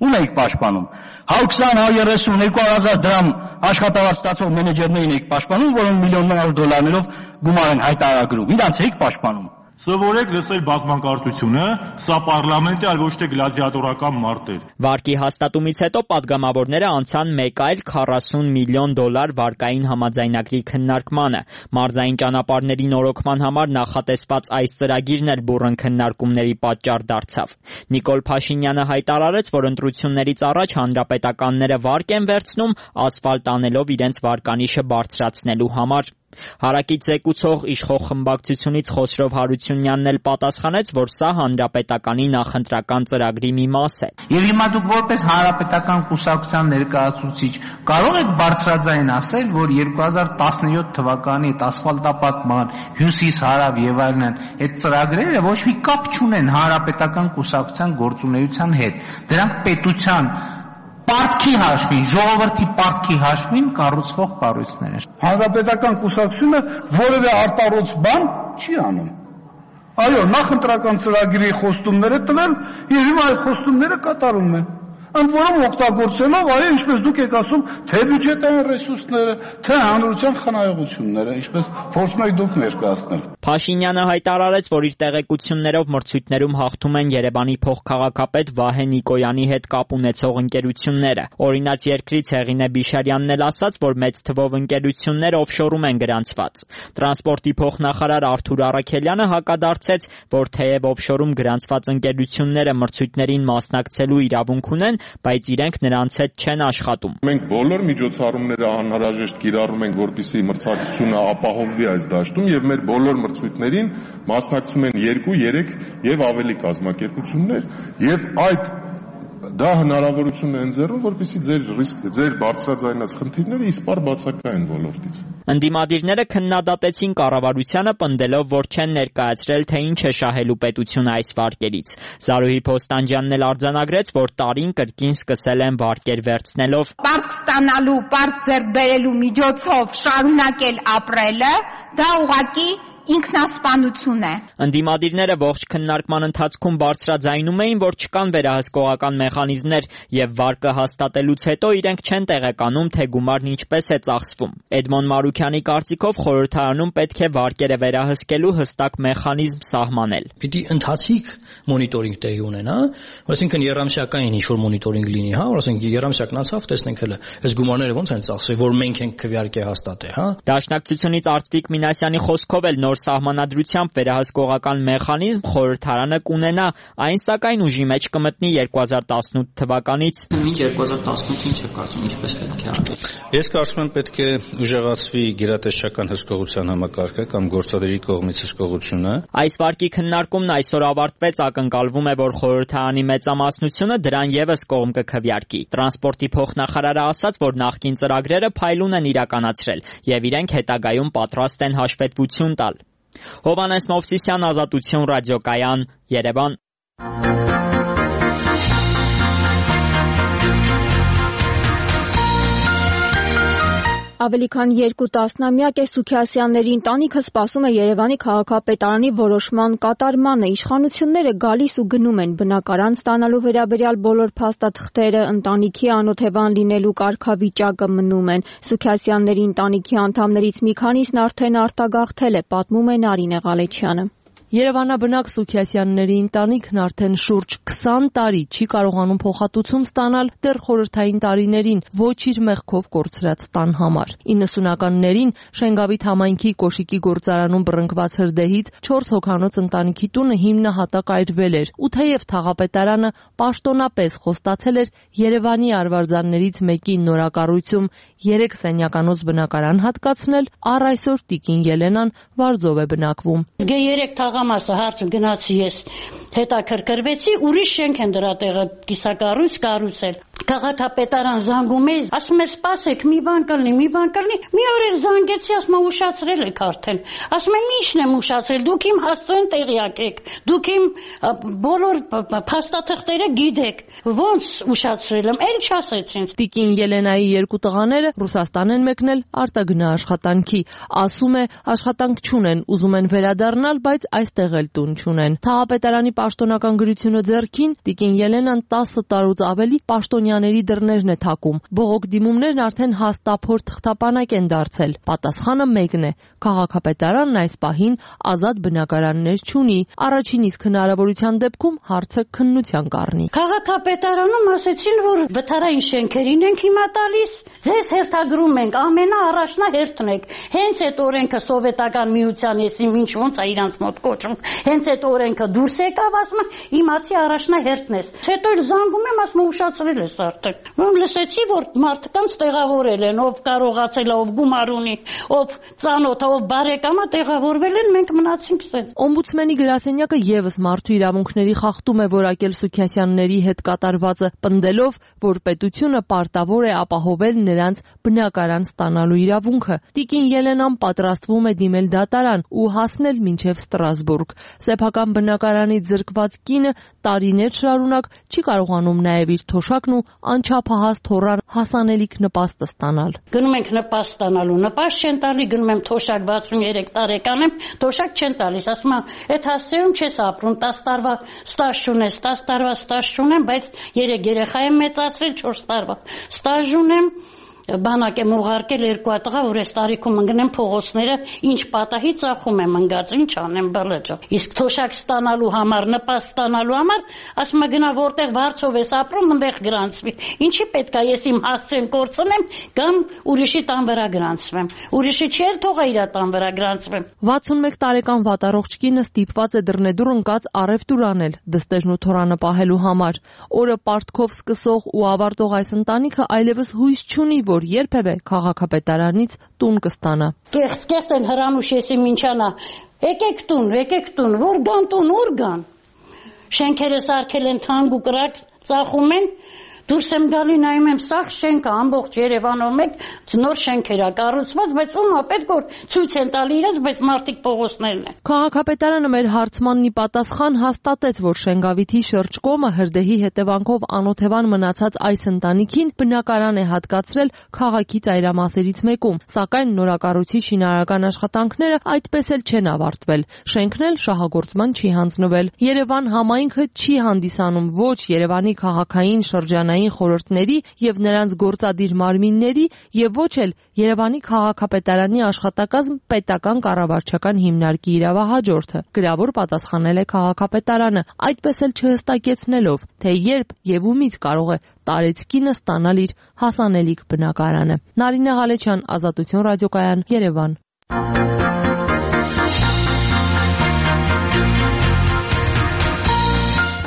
ում եք պաշտպանում։ հա քսան, հա երեսուն, երկու հազար դրամ աշխատավարձ ստացող մենեջերներին եք պաշտպանում, որոնք միլիոններ դոլարներով գումար են հայտարարագրում։ Իրանց եք պաշտպանում։ Սովորեք լսել բազմանկարծությունը, սա պարլամենտ է, այլ ոչ թե գլադիատորական մարդ էր։ Վարկի հաստատումից հետո падգամավորները անցան մեկ այլ քառասուն միլիոն դոլար վարկային համաձայնագրի քննարկմանը։ Մարզային ճանապարհների նորոգման համար նախատեսված այս ծրագիրն էլ բուռն քննարկումների պատճառ դարձավ։ Նիկոլ Փաշինյանը հայտարարեց, որ ընտրություններից առաջ հանրապետականները վարկ են վերցնում, ասֆալտ անելով իրենց վարկանիշը բարձրացնելու համար։ Հարակից զեկուցող իշխող խմբակցությունից Խոսրով Հարությունյանն էլ պատասխանեց, որ սա հանրապետականի նախընտրական ծրագրի մի մաս է։ Եվ հիմա դուք որպես հանրապետական կուսակցության ներկայացուցիչ կարող եք բարձրաձայն ասել, որ երկու հազար տասնյոթ թվականի այդ ասֆալտապատման, հյուսիս, հարավ եւ այլն այդ ծրագրերը ոչ մի կապ չունեն հանրապետական կուսակցության գործունեության հետ։ Դրանք պետության պարտքի հաշվին, ժողովրդի պարտքի հաշվին կառուցվող կառույցներ են։ Հանրապետական կուսակցությունը որևէ արտառոց բան չի անում։ Այո, նախընտրական ծրագրի խոստումները տվել եւ հիմա այդ խոստումները կատարում են։ Ընդ որում օգտագործելով, այո, ինչպես դուք եք ասում, թե բյուջետային ռեսուրսները, թե հանրության խնայողությունները, ինչպես փորձում եք դուք ներկայացնել։ Փաշինյանը հայտարարեց, որ իր տեղեկություններով մրցույթներում հաղթում են Երևանի փոխքաղաքապետ Վահե Նիկոյանի հետ կապ ունեցող ընկերությունները։ Օրինաց երկրից Հեղինե Բիշարյանն էլ ասաց, որ մեծ թվով ընկերություններ օֆշորում են գրանցված։ Տրանսպորտի փոխնախարար Արթուր Առաքելյանը հակադարձեց, որ թեև օֆշորում գրանցված ընկերությունները մրցույթներին մասնակցելու իրավունք ունեն, բայց իրենք նրանց հետ չեն աշխատում։ Մենք բոլոր միջոցառումները անհրաժեշտ կիրառում ենք, որպեսզի մրցակցությունը ապահովվի այս դաշտում եւ մեր բոլոր մրցույթներին մասնակցում են երկու, երեք եւ ավելի կազմակերպություններ եւ այդ դա հնարավորություն է ընձեռում, որպեսզի ձեր ռիսկ, ձեր բարձրաձայնած խնդիրները իսպառ բացակայեն ոլորտից։ Ընդդիմադիրները քննադատեցին կառավարությանը, պնդելով, որ չեն ներկայացրել, թե ինչ է շահելու պետությունը այս վարկերից։ Զարուհի Փոստանջյանն էլ արձանագրեց, որ տարին կրկին սկսել են վարկեր վերցնելով։ Պարկ ստանալու, պարկ ձեռք բերելու միջոցով շարունակել ապրելը, դա ուղղակի ինքնասպանություն է։ Ընդդիմադիրները ողջ քննարկման ընթացքում բարձրաձայնում էին, որ չկան վերահսկողական մեխանիզմներ եւ վարկը հաստատելուց հետո իրենք չեն տեղեկանում, թե գումարն ինչպես է ծախսվում։ Էդմոն Մարուքյանի կարծիքով խորհրդարանում պետք է վարկերը վերահսկելու հստակ մեխանիզմ սահմանել։ Պիտի ընթացիկ մոնիտորինգ տեղի ունենա, այսինքն երամսյակային ինչ-որ մոնիտորինգ լինի, հա, որ ասենք երամսյակն անցավ, տեսնենք հələ այս գումարները ոնց են ծախսվել, որ մենք ենք քվեարկե հաստատե, հա։ Դաշնակցությունից Արծվիկ Մինասյանի խոսքով էլ նոր սահմանադրությամբ վերահսկողական մեխանիզմ խորհրդարանը կունենա, այն սակայն ուժի մեջ կմտնի երկու հազար տասնութ թվականից։ Մինչ երկու հազար տասնութ ինչ է կարծում, ինչպես պետք է անել։ Ես կարծում եմ պետք է ուժեղացվի գերատեսչական հսկողության համակարգը կամ գործադիրի կողմից հսկողությունը։ Այս վարկի քննարկումն այսօր ավարտվեց, ակնկալվում է, որ խորհրդարանի մեծամասնությունը դրան եւս կողմ կքվեարկի։ Տրանսպորտի փոխնախարարը ասաց, որ նախկին ծրագրերը փայլուն են իրականացրել եւ իրենք հետագայում պատրաստ են հաշվետվություն տալ։ Հովհաննես Մովսիսյան, Ազատություն ռադիոկայան, Երևան։ Ավելի քան երկու տասնամյակ է Սուքիասյանների ընտանիքը սպասում է Երևանի քաղաքապետարանի որոշման կատարմանը։ Իշխանությունները գալիս ու գնում են բնակարան ստանալու վերաբերյալ բոլոր փաստաթղթերը, ընտանիքի անօթևան լինելու կարգավիճակը մնում են։ Սուքիասյանների ընտանիքի անդամներից մի քանիսն արդեն արտագաղթել է, պատմում է Նարինե Ղալեչյանը։ Երևանաբնակ Սուքիասյանների ընտանիքն արդեն շուրջ քսան տարի չի կարողանում փոխհատուցում ստանալ դեռ խորհրդային տարիներին ոչ իր մեղքով կորցրած տան համար։ իննսունականներին Շենգավիթ համայնքի Կոշիկի գործարանում բռնկված հրդեհից չորս հոգանոց ընտանիքի տունը հիմնահատակ այրվել էր, ու թեև թաղապետարանը պաշտոնապես խոստացել էր Երևանի արվարձաններից մեկի նորակառույցում երեք սենյականոց բնակարան հատկացնել, առ այսօր տիկին Ելենան Վարձով է բնակվում։ Համասը հարց գնացի ես հետաքրքրվեցի, ուրիշ շենք են դրա տեղը կիսակառույց կառուցել։ Քաղաքապետարան զանգում է, ասում է սպասեք, մի բան կլինի, մի բան կլինի։ Մի օր էլ զանգեցի, ասում է ուշացրել եք արդեն։ Ասում եմ ի՞նչն եմ ուշացրել, դուք իմ հասցեն տեղյակ եք, դուք իմ բոլոր փաստաթղթերը գիտեք։ Ոնց ուշացրել եմ, էլ չասեցին։ Տիկին Ելենայի երկու տղաները Ռուսաստան են մեկնել արտագնա աշխատանքի։ Ասում է աշխատանք չունեն, ուզում են վերադառնալ, բայց այստեղ էլ տուն չունեն։ Թաղապետարանի պաշտոնական գրությունը ձեռքին տիկին Ելենան տասը տարուց ավելի պաշտոնյաների դռներն է թակում։ Բողոք դիմումներն արդեն հաստափոր թղթապանակ են դարձել։ Պատասխանը մեկն է. քաղաքապետարանն այս պահին ազատ բնակարաններ չունի։ Առաջին իսկ հնարավորության դեպքում հարցը քննության կառնի։ Քաղաքապետարանում ասեցին, որ վթարային շենքերին ենք հիմա տալիս, ձեզ հերթագրում ենք, ամենաառաջնահերթն եք։ Հենց այդ օրենքը սովետական միության եսի ինչ ոնց է իրանց մոտ կոչում։ Հենց այդ օրենքը դուրս եկավ, ասում եմ, իմացի առաջնահերթն ես։ Հետո էլ զանգում եմ, ասում եմ, ուշացրել ես արդեն։ Ում լսեցի, որ մարդկանց տեղավորել են, ով կարողացել է, ով գումար ունի, ով ծանոթ է, ով բարեկամ է, տեղավորվել են, մենք մնացինք սենց։ Օմբուդսմենի գրասենյակը եւս մարդու իրավունքների խախտում է որակել Սուքիասյանների հետ կատարվածը, պնդելով, որ պետությունը պարտավոր է ապահովել նրանց բնակարան ստանալու իրավունքը։ Տիկին Ելենան պատրաստվում է դիմել դատարան ու հասնել մինչև Ստրասբուրգ։ Սեփական բնակարանից զրկված կինը տարիներ շարունակ չի կարողանում նաև իր թոշակն ու անչափահաս թոռան հասանելիք նպաստը ստանալ։ Գնում ենք նպաստ ստանալու, նպաստ չեն տալի, գնում եմ թոշակ վաթսուններեք տարեկան եմ, թոշակ չեն տալիս, ասում եմ, այդ հասցեում չես ապրում, տասը տարվա ստաժ ունես, տասը տարվա ստաժ չունեմ, բայց երեք երեխա եմ մեծացրել, չորս տարվա ստաժ ունեմ։ Բանակ եմ ուղարկել երկու տղա, որ այս տարիքում ընկնեմ փողոցները, ինչ պատահի ծախում եմ ընկած, ինչ անեմ բլեջա։ Իսկ թոշակ ստանալու համար, նպաստ ստանալու համար, ասում եմ գնա որտեղ վարձով ես ապրում, այնտեղ գրանցվի։ Ինչի պետք է ես իմ հասցեն կորցնեմ կամ ուրիշի տան վրա գրանցվեմ։ Ուրիշի չի էլ թողա իր տան վրա գրանցվեմ։ վաթսունմեկ տարեկան վատառողջ կինը ստիպված է դռնեդուր ընկած առևտուր անել դստեժն ու թորանը պահելու համար։ Օրը պարտքով սկսող ու ավարտող այս ընտանիքը այլևս հույս չունի, որ երբևէ քաղաքապետարանից տուն կստանա։ Կեղծ-կեղծ են հրանուշ եսի մինչանա։ Եկեք տուն, եկեք տուն, որ գան տուն, ուր գան։ Շենքերը սարքել են թանկ ու կրակ, ծախում են, Դուրս եմ գալի նայում եմ սաղ շենքը ամբողջ Երևանով մեկ նոր շենքեր է կառուցված, բայց ում է պետք որ ցույց են տալի իրենց, բայց մարդիկ փողոցներն են։ Քաղաքապետարանը մեր հարցմանն ի պատասխան հաստատեց, որ Շենգավիթի շրջկոմը հրդեհի հետևանքով անօթևան մնացած այս ընտանիքին բնակարան է հատկացրել քաղաքի ծայրամասերից մեկում, սակայն նորակառույցի շինարարական աշխատանքները այդպես էլ չեն ավարտվել։ Շենքն էլ շահագործման չի հանձնվել։ Երևան համայնքը չի հանդիսանում ոչ Երևանի քաղաքային շրջանային խորհուրդների եւ նրանց գործադիր մարմինների եւ ոչ էլ Երևանի քաղաքապետարանի աշխատակազմ պետական կառավարչական հիմնարկի իրավահաջորդը։ Գրավոր պատասխանել է քաղաքապետարանը, այդպես էլ չհստակեցնելով, թե երբ եւ ումից կարող է տարեցկինը ստանալ իր հասանելիք բնակարանը։ Նարինե Ղալեչյան, Ազատություն ռադիոկայան, Երևան։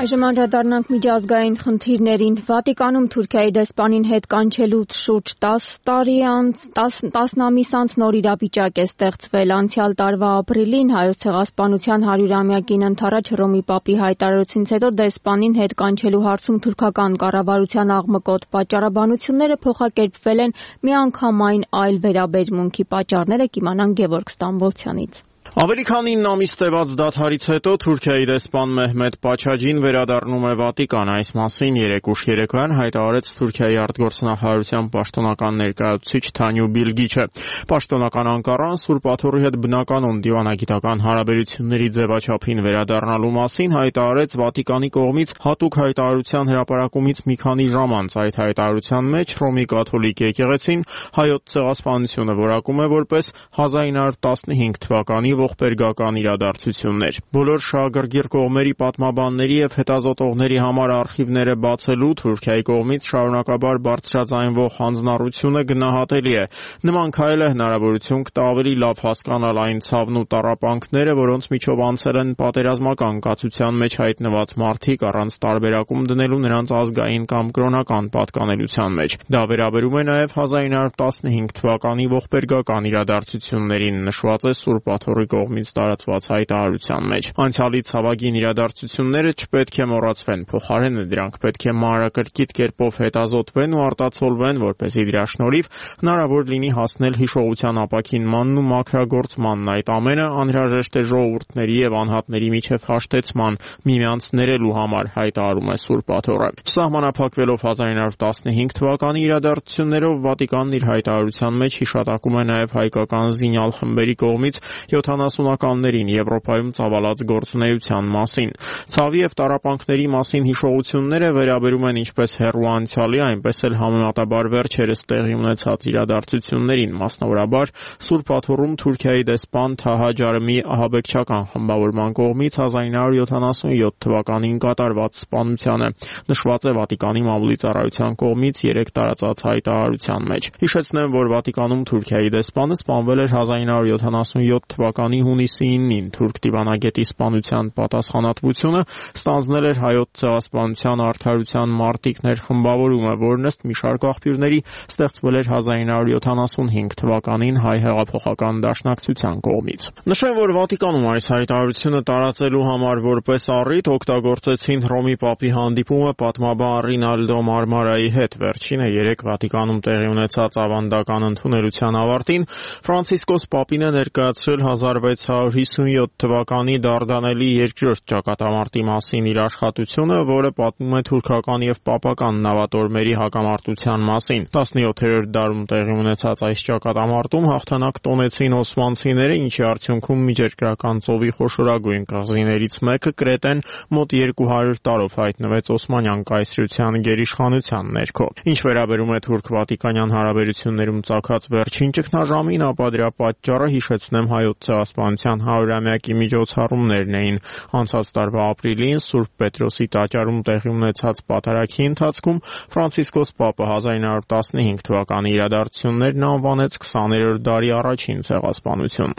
Այժմ անդրադառնանք միջազգային խնդիրներին։ Վատիկանում Թուրքիայի դեսպանին հետ կանչելուց շուրջ տասը տարի անց, տասն ամիս անց նոր իրավիճակ է ստեղծվել։ Անցյալ տարվա ապրիլին Հայոց ցեղասպանության հարյուրամյակին ընթരാճ Հռոմի Պապի հայտարարությունից հետո դեսպանին հետ կանչելու հարցում թուրքական կառավարության աղմկոտ պատճառաբանությունները փոխակերպվել են միանգամայն այլ վերաբերմունքի պատճառները կիմանան Գևորգ Ստամբոլցյանից։ Ավելի քան ինը ամիս տևած դադարից հետո Թուրքիայի դեսպան Մեհմեդ Պաչաջին վերադառնում է Վատիկան։ Այս մասին երեկ ուշ երեկոյան հայտարարեց Թուրքիայի արտգործնախարարության պաշտոնական ներկայացուցիչ Թանյու Բիլգիչը։ Պաշտոնական Անկարան Սուրբ Աթոռի հետ բնականon դիվանագիտական հարաբերությունների ձևաչափին վերադառնալու մասին հայտարարեց Վատիկանի կողմից հատուկ հայտարարության հրապարակումից մի քանի ժամ անց։ Այդ հայտարարության մեջ Հռոմի կաթոլիկ եկեղեցին Հայոց ցեղասպանությունը որակում է որպես հազար ինը հարյուր տասնհինգ թվականի ողբերգական իրադարձություններ։ Բոլոր շահագրգիռ կողմերի պատմաբանների եւ հետազոտողների համար արխիվները բացելու Թուրքիայի կողմից շարունակաբար բարձրաձայնվող հանձնառությունը գնահատելի է։ Նման քայլը հնարավորություն կտա ավելի լավ հասկանալ այն ցավն ու տառապանքները, որոնց միջով անցել են պատերազմական կացության մեջ հայտնված մարդիկ առանց տարբերակում դնելու նրանց ազգային կամ կրոնական պատկանելության մեջ։ Դա վերաբերում է նաեւ հազար ինը հարյուր տասնհինգ թվականի ողբերգական իրադարձություններին, նշված է Սուրբ Աթոռի կողմից տարածված հայտարարության մեջ։ Անցյալի ցավագին իրադարձությունները չպետք է մոռացվեն, փոխարենը դրանք պետք է մանրակրկիտ կերպով հետազոտվեն ու արտացոլվեն, որպեսզի դրա շնորհիվ հնարավոր լինի հասնել հիշողության ապաքինմանն ու մաքրագործմանն։ Այդ ամենը անհրաժեշտ է ժողովուրդների եւ անհատների միջև հաշտեցման, միմյանց ներելու համար, հայտարարում է Սուրբ Աթոռը։ Չսահմանափակվելով հազար ինը հարյուր տասնհինգ թվականի իրադարձություններով Վատիկանն իր հայտարարության մեջ հիշատակում է նաեւ հայկական զինյալ խմբերի կողմից յոթանասունականներին Եվրոպայում ծավալած գործունեության մասին։ Ցավի եւ տառապանքների մասին հիշողությունները վերաբերում են ինչպես հեռու անցյալի, այնպես էլ համեմատաբար վերջերս տեղի ունեցած իրադարձություններին, մասնավորաբար Սուրբ Աթոռում Թուրքիայի դեսպան Թահա Ջարմի ահաբեկչական խմբավորման կողմից հազար ինը հարյուր յոթանասունյոթ թվականին կատարված սպանությանը, նշված է Վատիկանի մամուլի ծառայության կողմից երեկ տարածած հայտարարության մեջ։ Հիշեցնեմ, որ Վատիկանում Թուրքիայի դեսպանը սպանվել էր հազար ինը հարյուր յոթանասունյոթ թվականի հունիսի ինին թուրք դիվանագետի սպանության պատասխանատվությունը ստանձնել էր Հայոց ցեղասպանության արդարության մարտիկներ խմբավորումը, որն ըստ մի շարք աղբյուրների ստեղծվել էր հազար ինը հարյուր յոթանասունհինգ թվականին հայ հեղափոխական դաշնակցության կողմից։ Նշեմ, որ Վատիկանում այս հայտարարությունը տարածելու համար որպես առիթ օգտագործեցին Հռոմի Պապի հանդիպումը պատմաբան Ռինալդո Մարմարայի հետ։ Վերջինը երեկ Վատիկանում տեղի ունեցած ավանդական ընդունելության ավարտին Ֆրանցիսկոս Պապին է ներկայացրել հազար վեց հարյուր հիսունյոթ թվականի Դարդանելի երկրորդ ճակատամարտի մասին իր աշխատությունը, որը պատմում է թուրքական եւ պապական նավատորմերի հակամարտության մասին։ տասնյոթերորդ դարում տեղի ունեցած այս ճակատամարտում հաղթանակ տոնեցին օսմանցիները, ինչի արդյունքում Միջերկրական ծովի խոշորագույն կղզիներից մեկը Կրետեն մոտ երկու հարյուր տարով հայտնվեց Օսմանյան կայսրության գերիշխանության ներքո։ Ինչ վերաբերում է թուրք-վատիկանյան հարաբերություններում ծագած վերջին ճգնաժամին, ապա դրա պատճառը հիշեցնեմ Հայոց ցեղասպանության հարյուրամյակի միջոցառումներն էին։ Անցած տարվա ապրիլին Սուրբ Պետրոսի տաճարում տեղի ունեցած պատարագի ընթացքում Ֆրանցիսկոս Պապը հազար ինը հարյուր տասնհինգ թվականի իրադարձություններն անվանեց քսաներորդ դարի առաջին ցեղասպանություն։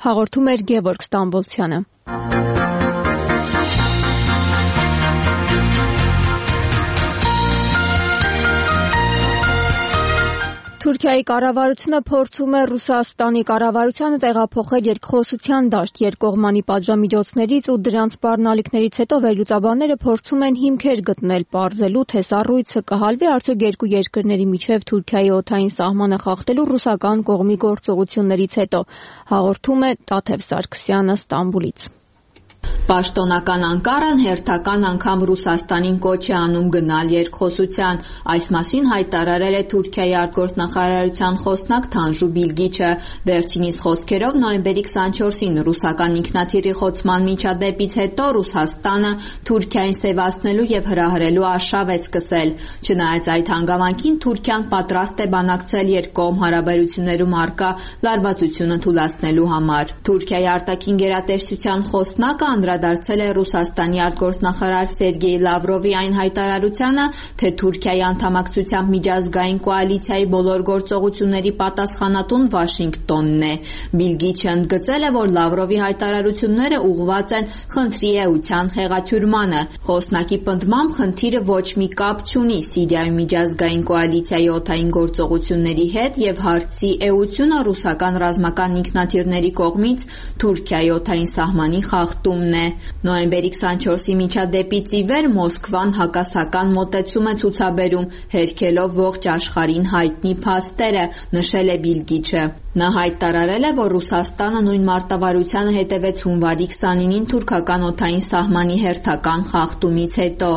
Հաղորդում էր Գևորգ Ստամբոլցյանը։ Թուրքիայի կառավարությունը փորձում է Ռուսաստանի կառավարությանը տեղափոխել երկխոսության դաշտ երկկողմանի պատժամիջոցներից ու դրանց սպառնալիքներից հետո վերլուծաբանները փորձում են հիմքեր գտնել պարզելու, թե սառույցը կհալվի արդյոք երկու երկրների միջև Թուրքիայի օդային սահմանը խախտելու ռուսական կողմի գործողություններից հետո, հաղորդում է Տաթև Սարգսյանը Ստամբուլից։ Պաշտոնական Անկարան հերթական անգամ Ռուսաստանին կոչ է անում գնալ երկխոսության։ Այս մասին հայտարարել է Թուրքիայի արտգործնախարարության խոսնակ Թանժու Բիլգիչը։ Վերջինիս խոսքերով նոյեմբերի քսանչորսին ռուսական ինքնաթիռի խոցման միջադեպից հետո Ռուսաստանը Թուրքիային սևացնելու եւ հրահրելու արշավ է սկսել։ Չնայած այդ հանգամանքին Թուրքիան պատրաստ է բանակցել երկկողմ հարաբերություններում առկա լարվածությունը թուլացնելու համար։ Թուրքիայի արտաքին գերատեսչության խոսնակը անդրադարձել է Ռուսաստանի արտգործնախարար Սերգեյ Լավրովի այն հայտարարությանը, թե Թուրքիայի անդամակցությամբ միջազգային կոալիցիայի բոլոր գործողությունների պատասխանատուն Վաշինգտոնն է։ Բիլգիչը ընդգծել է, որ Լավրովի հայտարարությունները ուղղված են խնդրի էության խեղաթյուրմանը։ Խոսնակի պնդմամբ խնդիրը ոչ մի կապ չունի Սիրիայում միջազգային կոալիցիայի օդային գործողությունների հետ եւ հարցի էությունը ռուսական ռազմական ինքնաթիռների կողմից Թուրքիայի օդային սահմանի խախտումն է։ Նոյեմբերի քսանչորսի միջադեպից ի վեր Մոսկվան հակասական մոտեցում է ցուցաբերում, հերքելով ողջ աշխարհին հայտնի փաստերը, նշել է Բիլգիչը։ Նա հայտարարել է, որ Ռուսաստանը նույն մարտավարությանը հետևեց հունվարի քսանինին թուրքական օդային սահմանի հերթական խախտումից հետո։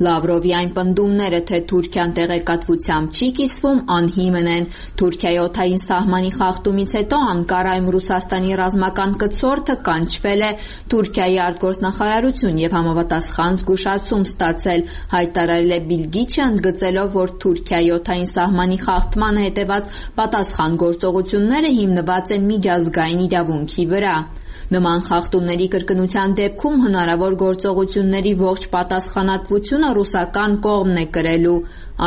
Լավրովի այն պնդումները, թե Թուրքիան տեղեկատվությամբ չի կիսվում, անհիմն են։ Թուրքիայի օդային սահմանի խախտումից հետո Անկարայում Ռուսաստանի ռազմական կցորդը կանչվել է Թուրքիայի արտգործնախարարություն եւ համապատասխան զգուշացում ստացել, հայտարարել է Բիլգիչը, ընդգծելով, որ Թուրքիայի օդային սահմանի խախտմանը հետեւած պատասխան գործողությունները հիմնված են միջազգային իրավունքի վրա։ Նման խախտումների կրկնության դեպքում հնարավոր գործողությունների ողջ պատասխանատվությունը ռուսական կողմն է կրելու։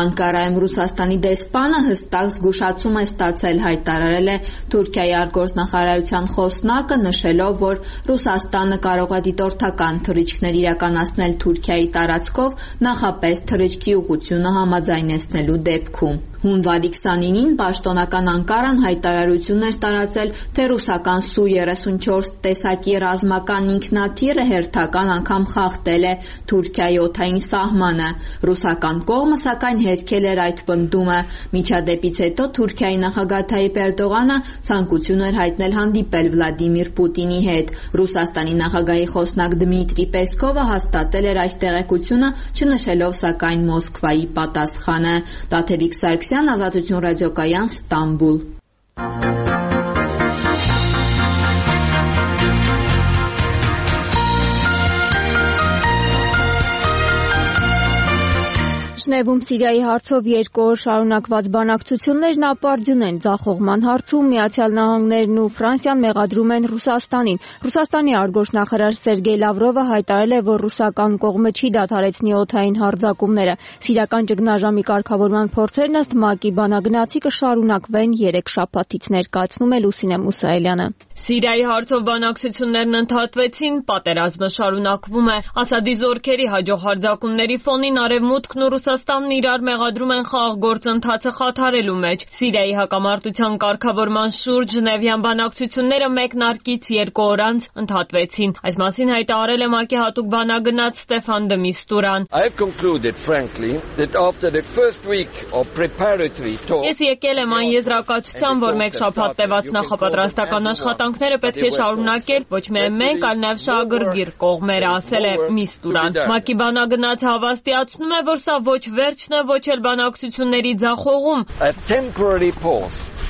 Անկարայում Ռուսաստանի դեսպանը հստակ զգուշացում է ստացել, հայտարարել է Թուրքիայի արտգործնախարարության խոսնակը, նշելով, որ Ռուսաստանը կարող է դիտորդական թռիչքներ իրականացնել Թուրքիայի տարածքով, նախապես թռիչքի ուղղությունը համաձայնեցնելու դեպքում։ Հունվարի քսանինին պաշտոնական Անկարան հայտարարություն էր տարածել, թե ռուսական Սու երեսունչորս տեսակի ռազմական ինքնաթիռը հերթական անգամ խախտել է Թուրքիայի օդային սահմանը։ Ռուսական կողմը սակայն հերքել էր այդ պնդումը։ Միջադեպից հետո Թուրքիայի նախագահ Թայիպ Էրդողանը ցանկություն էր հայտնել հանդիպել Վլադիմիր Պուտինի հետ։ Ռուսաստանի նախագահի խոսնակ Դմիտրի Պեսկովը հաստատել էր այս տեղեկությունը, չնշելով սակայն Մոսկվայի պատասխանը։ Տաթևիկ Սարգսյան, Ազատություն ռադիոկայան, Ստամբուլ։ Ժնևում Սիրիայի հարցով երկու օր շարունակված բանակցություններն ապարդյուն են։ Ձախողման հարցում Միացյալ Նահանգներն ու Ֆրանսիան մեղադրում են Ռուսաստանին։ Ռուսաստանի արտգործնախարար Սերգեյ Լավրովը հայտարարել է, որ ռուսական կողմը չի դադարեցնի օդային հարձակումները։ Սիրիական ճգնաժամի կարգավորման փորձերն ըստ ՄԱԿ-ի բանագնացի կշարունակվեն երեք շաբաթից, ներկայացնում է Լուսինե Մուսայելյանը։ Սիրիայի հարցով բանակցություններն ընդհատվեցին, պատերազմը շարունակվում է։ Ասադի զորքերի հաջող հարձակումների ֆոնին Արևմուտքն ու Ռուսաստանն իրար մեղադրում են խաղաղ գործընթացը խաթարելու մեջ։ Սիրիայի հակամարտության կարգավորման շուրջ Ժնևյան բանակցությունները մեկնարկից երկու օր անց ընդհատվեցին։ Այս մասին հայտարարել է ՄԱԿ-ի հատուկ բանագնաց Ստեֆան դը Միստուրան։ Ես եկել եմ այն եզրակացության, որ մեկ շաբաթ տևած նախապատրաստական աշխատանքները պետք է շարունակել ոչ միայն մենք, այլ նաև շահագրգիռ կողմերը, ասել է Միստուրան։ ՄԱԿ-ի բանագնացը հավաստիացնում է, որ սա ոչ վերջն է, ոչ էլ բանակցությունների ձախողում։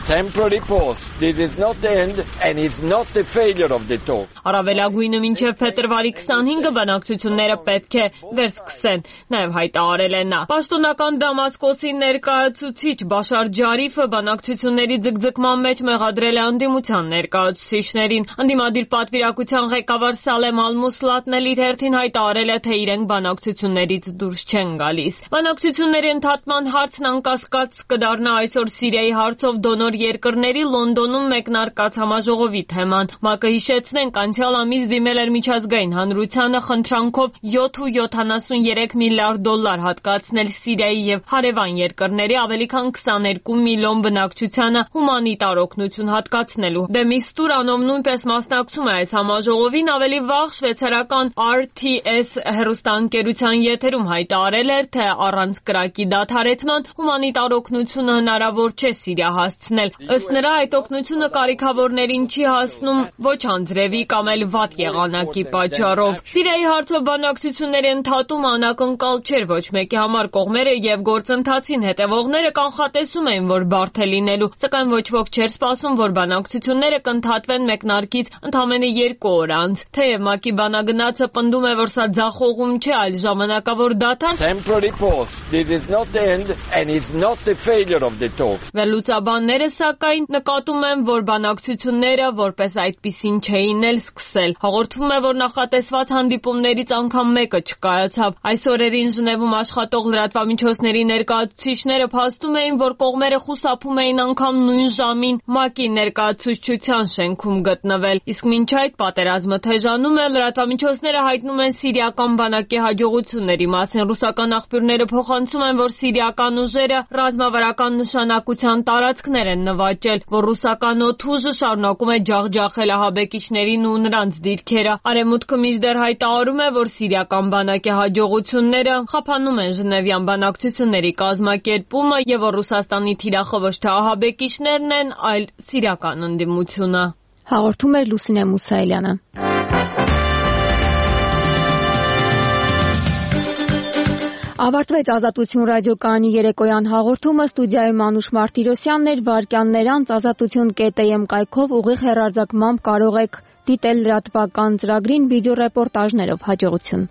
Temporary pause. This is not the end and is not the failure of the talk. Առավելագույնը մինչև փետրվարի քսանհինգը բանակցությունները պետք է վերսկսեն, նաև հայտարարել է նա։ Պաշտոնական Դամասկոսի ներկայացուցիչ Բաշար Ջարիֆը բանակցությունների ձգձգման մեջ մեղադրել է անդիմության ներկայացուցիչներին։ Անդիմադիր պատվիրակության ղեկավար Սալեմ Ալ-Մուսլատն էլ իր հերթին հայտարարել է, թե իրենք բանակցություններից դուրս չեն գալիս։ Բանակցությունների ընդհատման հարցն անկասկած կդառնա այսօր Սիրիայի հարցով դոնոր նոր երկրների Լոնդոնում մեկնարկած համաժողովի թեման։ ՄԱԿ-ը հիշեցնենք անցյալ ամիս դիմել էր միջազգային հանրությանը խնդրանքով յոթ ու յոթանասունյերեք միլիարդ դոլար հատկացնել Սիրիայի եւ հարևան երկրների ավելի քան քսաներկու միլիոն բնակչությանը հումանիտար օգնություն հատկացնելու։ Դե Միստուր անով նույնպես մասնակցում է այս համաժողովին, ավելի վաղ շվեյցարական R T S հեռուստաընկերության եթերում հայտարարել էր, թե առանց կրակի դադարեցման հումանիտար օգնությունը հնարավոր չէ Սիրիա հասցնել։ Ըստ նրա, այդ օգնությունը կարիքավորներին չի հասնում ոչ անձրևի կամ էլ վատ եղանակի պատճառով։ Սիրիայի հարցով բանակցությունների ընդհատումը անակնկալ չէր ոչ մեկի համար։ Կողմերը եւ գործընթացին հետևողները կանխատեսում էին, որ բարդ է լինելու, սակայն ոչ ոք չէր սպասում, որ բանակցությունները կընդհատվեն մեկնարկից ընդամենը երկու օր անց։ Թեև ՄԱԿ-ի բանագնացը պնդում է, որ սա ձախողում չէ, այլ ժամանակավոր դադար, վերլուծաբանները սակայն նկատում են, որ բանակցությունները որպես այդպիսին չէին էլ սկսել։ Հաղորդվում է, որ նախատեսված հանդիպումներից անգամ մեկը չկայացավ։ Այս օրերին Ժնևում աշխատող լրատվամիջոցների ներկայացուցիչները փաստում էին, որ կողմերը խուսափում էին անգամ նույն ժամին ՄԱԿ-ի ներկայացուցչության շենքում գտնվել։ Իսկ մինչ այդ պատերազմը թեժանում է, լրատվամիջոցները հայտնում են սիրիական բանակի հաջողությունների մասին։ Ռուսական աղբյուրները փոխանցում են, որ սիրիական ուժերը ռազմավարական նշանակության տարածքներ են նվաճել, որ ռուսական օդուժը շարունակում է ջախջախել ահաբեկիչներին ու նրանց դիրքերը։ Արևմուտքը մինչդեռ հայտարարում է, որ սիրիական բանակի հաջողությունները խափանում են Ժնևյան բանակցությունների կազմակերպումը եւ որ Ռուսաստանի թիրախը ոչ թե ահաբեկիչներն են, այլ սիրիական ընդդիմությունը։ Հաղորդում էր Լուսինե Մուսայելյանը։ Ավարտվեց Ազատություն ռադիոկայանի երեկոյան հաղորդումը, ստուդիայում Մանուշ Մարտիրոսյանն էր, վարքյաններ անց ազատություն կետ am կայքով ուղիղ հեռարձակմամբ կարող եք դիտել լրատվական ծրագրին վիդեոռեպորտաժներով։ Հաջողություն։